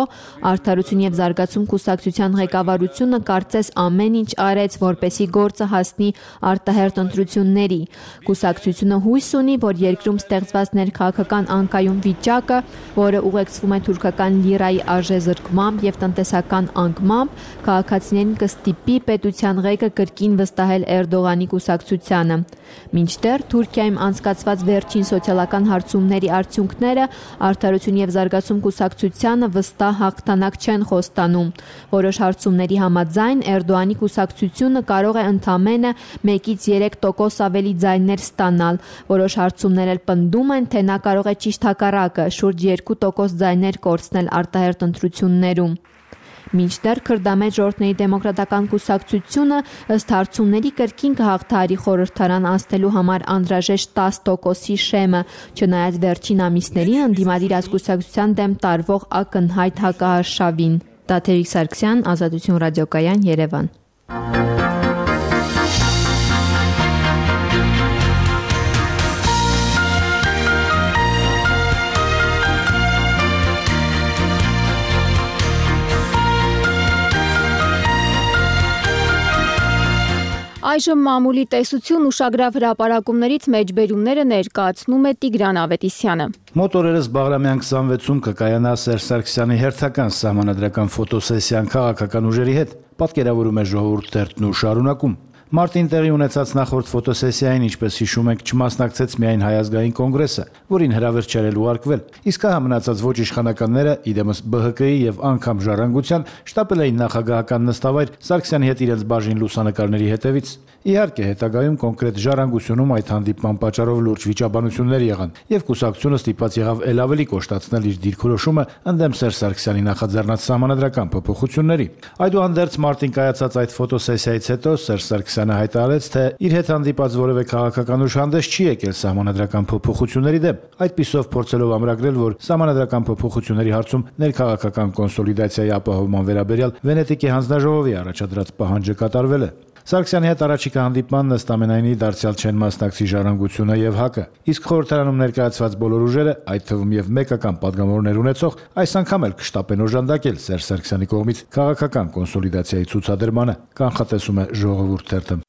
[SPEAKER 1] Արդարություն եւ զարգացում կուսակցության ղեկավարությունը կարծես ամեն ինչ արեց, որպեսզի գործը հասնի արտահերթ ընտրությունների։ Կուսակցությունը հույս ունի, որ երկրում ստեղծված ներքաղաքական անկայուն վիճակը, որը ուղեկցվում է թուրքական լիրայի արժեզրկմամբ եւ տնտեսական անկմամբ, քաղաքացիներին կստիպի պետության ղեկը կրկին վստահել Էրդողանի կուսակցությանը։ Մինչդեռ Թուրքիայում անցկացված վերջին սոցիալական հարցումների արդյունքները Արդարություն եւ զարգացում կուսակցությանը վստահ հաղթանակ չեն խոստանում։ Որոշ հարցումների համաձայն Էրդողանի կուսակցությունը կարող է ընդամենը 1-ից 3% ավելի ձայներ ստանալ։ Որոշ հարցումներ էլ պնդում են, թե նա կարող է ճիշտ հակառակը՝ շուրջ 2% ձայներ կորցնել արտահերթ ընտրություններում։ Մինչդեռ քրդամետ ժողովրդների դեմոկրատական կուսակցությունը ըստ հարցումների կրկին կհաղթահարի խորհրդարան անցնելու համար անհրաժեշտ 10%-ի շեմը, չնայած վերջին ամիսներին ընդդիմադիր կուսակցության դեմ տարվող ակնհայտ հակահարշավին։ Տաթևիկ Սարգսյան, Ազատություն ռադիոկայան, Երևան։
[SPEAKER 2] Այժմ մամուլի տեսություն ուշագրավ հրապարակումներից մեջբերումները ներկայացնում է Տիգրան Ավետիսյանը։
[SPEAKER 11] Մոտ օրերս Բաղրամյան 26-ում կկայանա Սերժ Սարգսյանի հերթական սահմանադրական ֆոտոսեսիան քաղաքական ուժերի հետ, պատկերավորում է ժողովուրդ թերթն ու շարունակում։ Մարտին տեղի ունեցած նախորդ ֆոտոսեսիային, ինչպես հիշում ենք, չմասնակցեց միայն Հայազգային կոնգրեսը, որին հրավեր չէր ուղարկվել։ Իսկ հա մնացած ոչ իշխանականները, իդեմս ԲՀԿ-ի եւ անգամ Ժառանգության, շտապել էին նախագահական նստավայր Սարգսյանի հետ իրենց բաժին լուսանկարների հետևից։ Իհարկե, հետագայում կոնկրետ Ժառանգությունում այդ հանդիպման պատճառով լուրջ վիճաբանություններ եղան, եւ կուսակցությունը ստիպված եղավ ել ավելի կոշտացնել իր դիրքորոշումը ընդդեմ Սերժ Սարգսյանի նախաձեռնած սահմանադրական փոփոխությունների։ Այդուհանդերձ մարտին կայացած այդ ֆոտոսեսիայից հետո Սերժ Սարգսյանը հայտարարեց, թե իր հետ հանդիպած որևէ քաղաքական ուժ հանդես չի եկել սահմանադրական փոփոխությունների դեմ, այդպիսով փորձելով ամրագրել, որ սահմանադրական փոփոխությունների հարցում ներքաղաքական կոնսոլիդացիայի ապահովման վերաբերյալ Վենետիկի հանձնաժողովի առաջադրած պահանջը կատարվել է։ Սարգսյանի հետ առաջիկա հանդիպմանն ըստ ամենայնի դարձյալ չեն մասնակցի Ժառանգությունը եւ ՀԱԿ-ը, իսկ խորհրդարանում ներկայացված բոլոր ուժերը, այդ թվում եւ մեկական падգամավորներ ունեցող, այս անգամ էլ կշտապեն օժանդակել Սերժ Սարգսյանի կողմից քաղաքական կոնսոլիդացիայի ցուցադրմանը, կանխատեսում է Ժողովուրդ թերթը։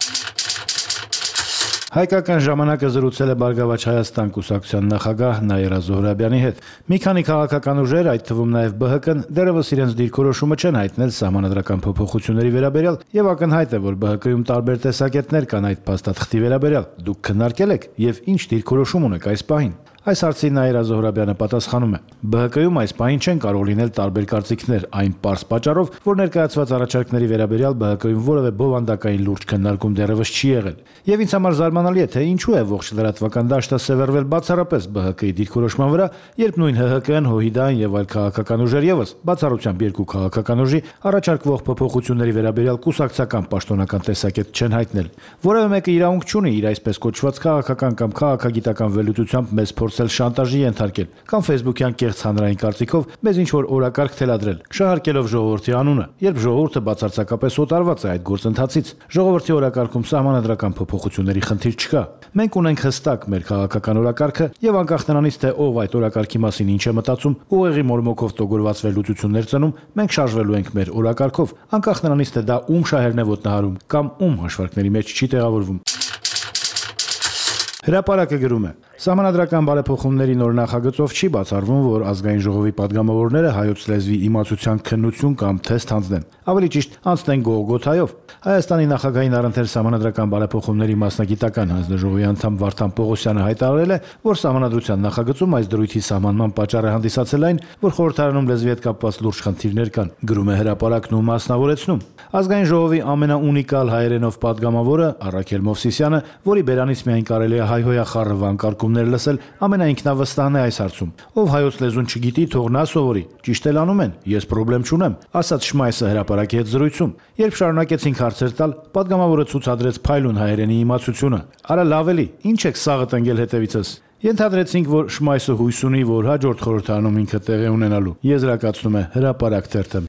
[SPEAKER 11] Հայկական ժամանակը զրուցել է Բարգավաճ Հայաստան կուսակցության նախագահ Նաիրա Զոհրաբյանի հետ։ Մի քանի քաղաքական ուժեր, այդ թվում նաև ԲՀԿ-ն, դեռևս իրենց դիրքորոշումը չեն հայտնել սահմանադրական փոփոխությունների վերաբերյալ, եւ ակնհայտ է, որ ԲՀԿ-ում տարբեր տեսակետներ կան այդ փաստաթղթի վերաբերյալ։ Դուք քննարկել եք եւ ինչ դիրքորոշում ունեք այս պահին։ Այս հարցին Նաիրա Զոհրաբյանը պատասխանում է. ԲՀԿ-ում այս պահին չեն կարող լինել տարբեր կարծիքներ, այն պարզ պատճառով, որ ներկայացված առաջարկների վերաբերյալ ԲՀԿ-ում որևէ բովանդակային լուրջ քննարկում դեռևս չի եղել։ Եվ ինձ համար զարմանալի է, թե ինչու է ողջ լրատվական դաշտը սևեռվել բացառապես ԲՀԿ-ի դիրքորոշման վրա, երբ նույն ՀՀԿ-ն, ՀՅԴ-ն եւ այլ քաղաքական ուժեր եւս, բացառությամբ երկու քաղաքական ուժի, առաջարկվող փոփոխությունների վերաբերյալ կուսակցական պաշտոնական տեսակետ չեն հայտնել։ Որևէ մեկը իրավունք չունի իր այսպես կոչված քաղաքական կամ քաղաքագիտական վերլուծությամբ մեզ փորձել շանտաժի ենթարկել կամ Facebook-յան կեղծ հանրային կարծիքով մեզ ինչ-որ օրակարգ թելադրել, շահարկելով ժողովրդի անունը, երբ ժողովուրդը բացարձակապես օտարված է այդ գործընթացից։ Ժողովրդի օրակարգում սահմանադրական փոփոխությունների խնդիր չկա։ Մենք ունենք հստակ մեր քաղաքական օրակարգը եւ անկախ նրանից, թե ով այդ օրակարգի մասին ինչ է մտածում, ուղեղի մորմոքով տոգորված վերլուծություններ ծնում, մենք շարժվելու ենք մեր օրակարգով, անկախ նրանից, թե դա ում շահերն է ոտնահարում կամ ում հաշվարկների մեջ չի տեղավորվում։ Հրապարակը գրում է. Սահմանադրական բարեփոխումների նոր նախագծով չի բացառվում, որ ազգային ժողովի падգամավորները հայոց լեզվի իմացության քննություն կամ թեստ հանձնեն, ավելի ճիշտ անցնեն Գողգոթայով։ Հայաստանի նախագահին առընթեր սահմանադրական բարեփոխումների մասնագիտական հանձնաժողովի անդամ Վարդան Պողոսյանը հայտարարել է, որ սահմանադրության նախագծում այս դրույթի սահմանման պատճառը հանդիսացել այն, որ խորհրդարանում լեզվի հետ կապված լուրջ խնդիրներ կան, գրում է հրապարակն ու մասնավորեցնում։ Ազգային ժողովի ամենաունիկալ հայերենով падգամավորը Առաքել Մովսիսյանը, որի բերանից միայն կարելի է հայհոյախառը վանկարկումներ լսել, ամենաինքնավստահն է այս հարցում։ Ով հայոց լեզուն չգիտի, թող նա սովորի։ Ճիշտ էլ անում են, ես խնդրեմ չունեմ, ասաց Շմայսը հրապարակի հետ զրույցում։ Երբ շարունակեցինք հարցեր տալ, падգամավորը ցուցադրեց փայլուն հայերենի իմացությունը։ Արա լավ էլի, ինչ եք սաղը տնկել հետևիցս։ Ենթադրեցինք, որ Շմայսը հույս ունի, որ հաջորդ խորհրդարանում ինքը տեղի ունենալու։ Եզրակացնում է հրապարակ թերթը։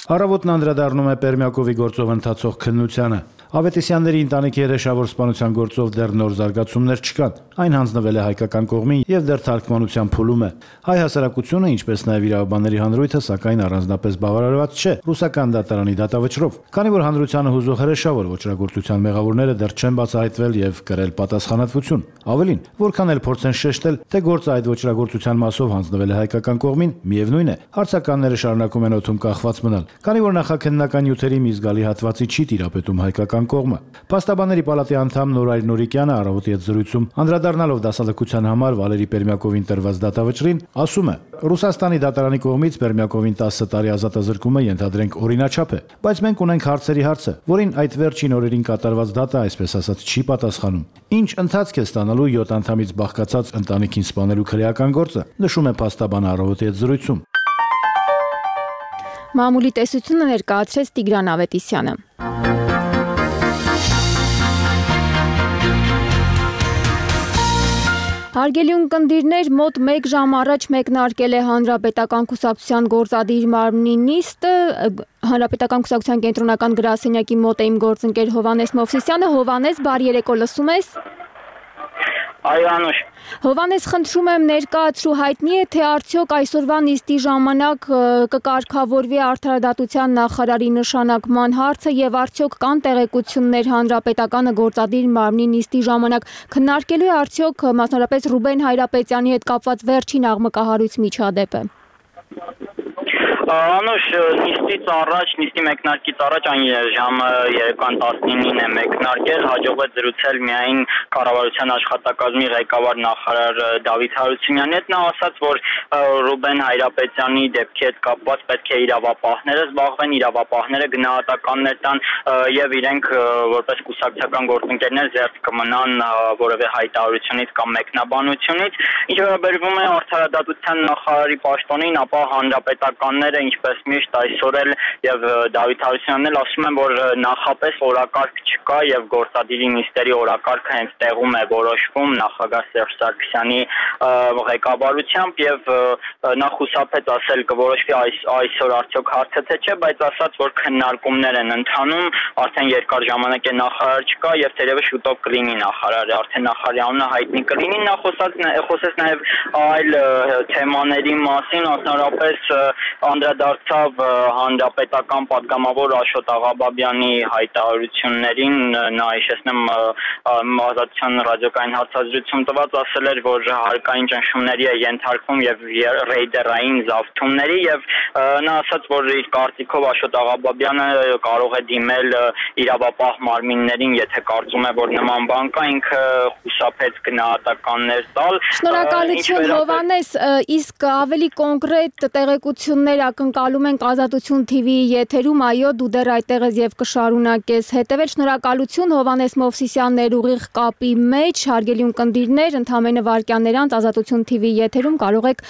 [SPEAKER 11] Առավոտն անդրադառնում է Պերմյակովի գործով ընթացող քննությանը։ Ավետիսյանների ընտանիքի երեշավոր սպանության գործով դեռ նոր զարգացումներ չկան։ Այն հանձնվել է հայկական կողմին եւ դեռ թարգմանության փուլում է։ Հայ հասարակությունը, ինչպես նաեւ իրավաբանների հանրույթը, սակայն առանձնապես բավարարված չէ ռուսական դատարանի դատավճռով, քանի որ հանրությանը հուզող հրեշավոր ոչրագործության մեղավորները դեռ չեն բացահայտվել եւ կրել պատասխանատվություն։ Ավելին, որքան էլ փորձեն շեշտել, թե գործը այդ ոչրագործության մասով հանձնվել է հայկական կողմին, միևնույն է, հարցականները շարունակում են օդում կախված մնալ, քանի որ նախաքննական նյութերի մի զգալի հատվածի չի տիրապետում հայկական կողմը։ Փաստաբանների պալատի անդամ Նորայր Նորիկյանը առավոտի հետ զրույցում անդրադառնալով դասալքության համար Վալերի Պերմյակովին տրված դատավճռին, ասում է. Ռուսաստանի դատարանի կողմից Պերմյակովին 10 տարի ազատազրկումը ենթադրենք օրինաչափ է, բայց մենք ունենք հարցերի հարցը, որին այդ վերջին օրերին կատարված դատը, այսպես ասած, չի պատասխանում։ Ինչ ընթացք է ստանալու 7 անդամից բաղկացած ընտանիքին սպանելու քրեական գործը, նշում է փաստաբանը առավոտի հետ զրույցում։
[SPEAKER 2] Մամուլի տեսությունը ներկայացրեց Տիգրան Ավետիսյանը։ Հարգելի ունկնդիրներ, մոտ 1 ժամ առաջ մեկնարկել է Հանրապետական կուսակցության գործադիր մարմնի նիստը։ Հանրապետական կուսակցության կենտրոնական գրասենյակի մոտ է իմ գործընկեր Հովհաննես Մովսիսյանը։ Հովհաննես, բարի երեկո, լսում ես։
[SPEAKER 13] Այո, Անուշ։
[SPEAKER 2] Հովհաննես, խնդրում եմ ներկայացրու, հայտնի է, թե արդյոք այսօրվա նիստի ժամանակ կկարգավորվի արդարադատության նախարարի նշանակման հարցը եւ արդյոք կան տեղեկություններ Հանրապետականը գործադիր մարմնի նիստի ժամանակ քննարկելու է արդյոք մասնավորապես Ռուբեն Հայրապետյանի հետ կապված վերջին աղմկահարույց միջադեպը։
[SPEAKER 13] Անուշ նիստից առաջ, նիստի մեկնարկից առաջ այն ժամը երեկոյան 19-ին է մեկնարկել, հաջողվեց զրուցել միայն կառավարության աշխատակազմի ղեկավար նախարար Դավիթ Հարությունյանի հետ, նա ասաց, որ Ռուբեն Հայրապետյանի դեպքի հետ կապված պետք է իրավապահները զբաղվեն, իրավապահները գնահատականներ տան եւ իրենք որպես կուսակցական գործընկերներ զերծ կմնան որևէ հայտարարությունից կամ մեկնաբանությունից, ինչ վերաբերվում է արդարադատության նախարարի պաշտոնին, ապա հանրապետականները ինչպես միշտ այսօր էլ եւ Դավիթ Հարությունյանն էլ ասում են, որ նախապես օրակարգ չկա եւ գործադիրի նիստերի օրակարգը հենց տեղում է որոշվում նախագահ Սերժ Սարգսյանի ղեկավարությամբ եւ նա խուսափեց ասել կորոշվի այսօր արդյոք հարցը թե չէ, բայց ասաց, որ քննարկումներ են ընթանում, արդեն երկար ժամանակ է նախարար չկա եւ թերևս շուտով կլինի նախարարը, արդեն նախարարի անունը հայտնի կլինի, նա խոսեց նաեւ այլ թեմաների մասին, մասնավորապես անդրադարձավ հանրապետական պատգամավոր Աշոտ Աղաբաբյանի հայտարարություններին, նա հիշեցնեմ ազատության ռադիոկային հարցազրույցում տված ասել էր, որ հարկային ճնշումների է ենթարկվում եւ ռեյդերային զավթումների եւ նա ասաց, որ իր կարծիքով Աշոտ Աղաբաբյանը կարող է դիմել իրավապահ մարմիններին, եթե կարծում է, որ նման բան կա, ինքը խուսափեց գնահատականներ տալ։
[SPEAKER 2] Շնորհակալություն Հովհաննես, իսկ ավելի կոնկրետ տեղեկություններ ակնկալում ենք Ազատություն TV-ի եթերում, այո, դու դեռ այդտեղ ես եւ կշարունակես հետեւել։ Շնորհակալություն Հովհաննես Մովսիսյան ներուղիղ կապի մեջ, հարգելի ունկնդիրներ, ընդամենը վայրկյաններ անց Ազատություն TV-ի եթերում կարող եք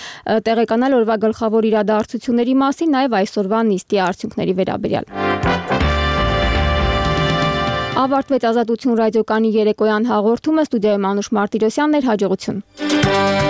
[SPEAKER 2] տեղեկանալ օրվա գլխավոր իրադարձությունների մասին, նաև այսօրվա նիստի արդյունքների վերաբերյալ։ Ավարտվեց Ազատություն ռադիոկանի երեկոյան հաղորդումը, ստուդիայում Անուշ Մարտիրոսյանն էր, հաջողություն։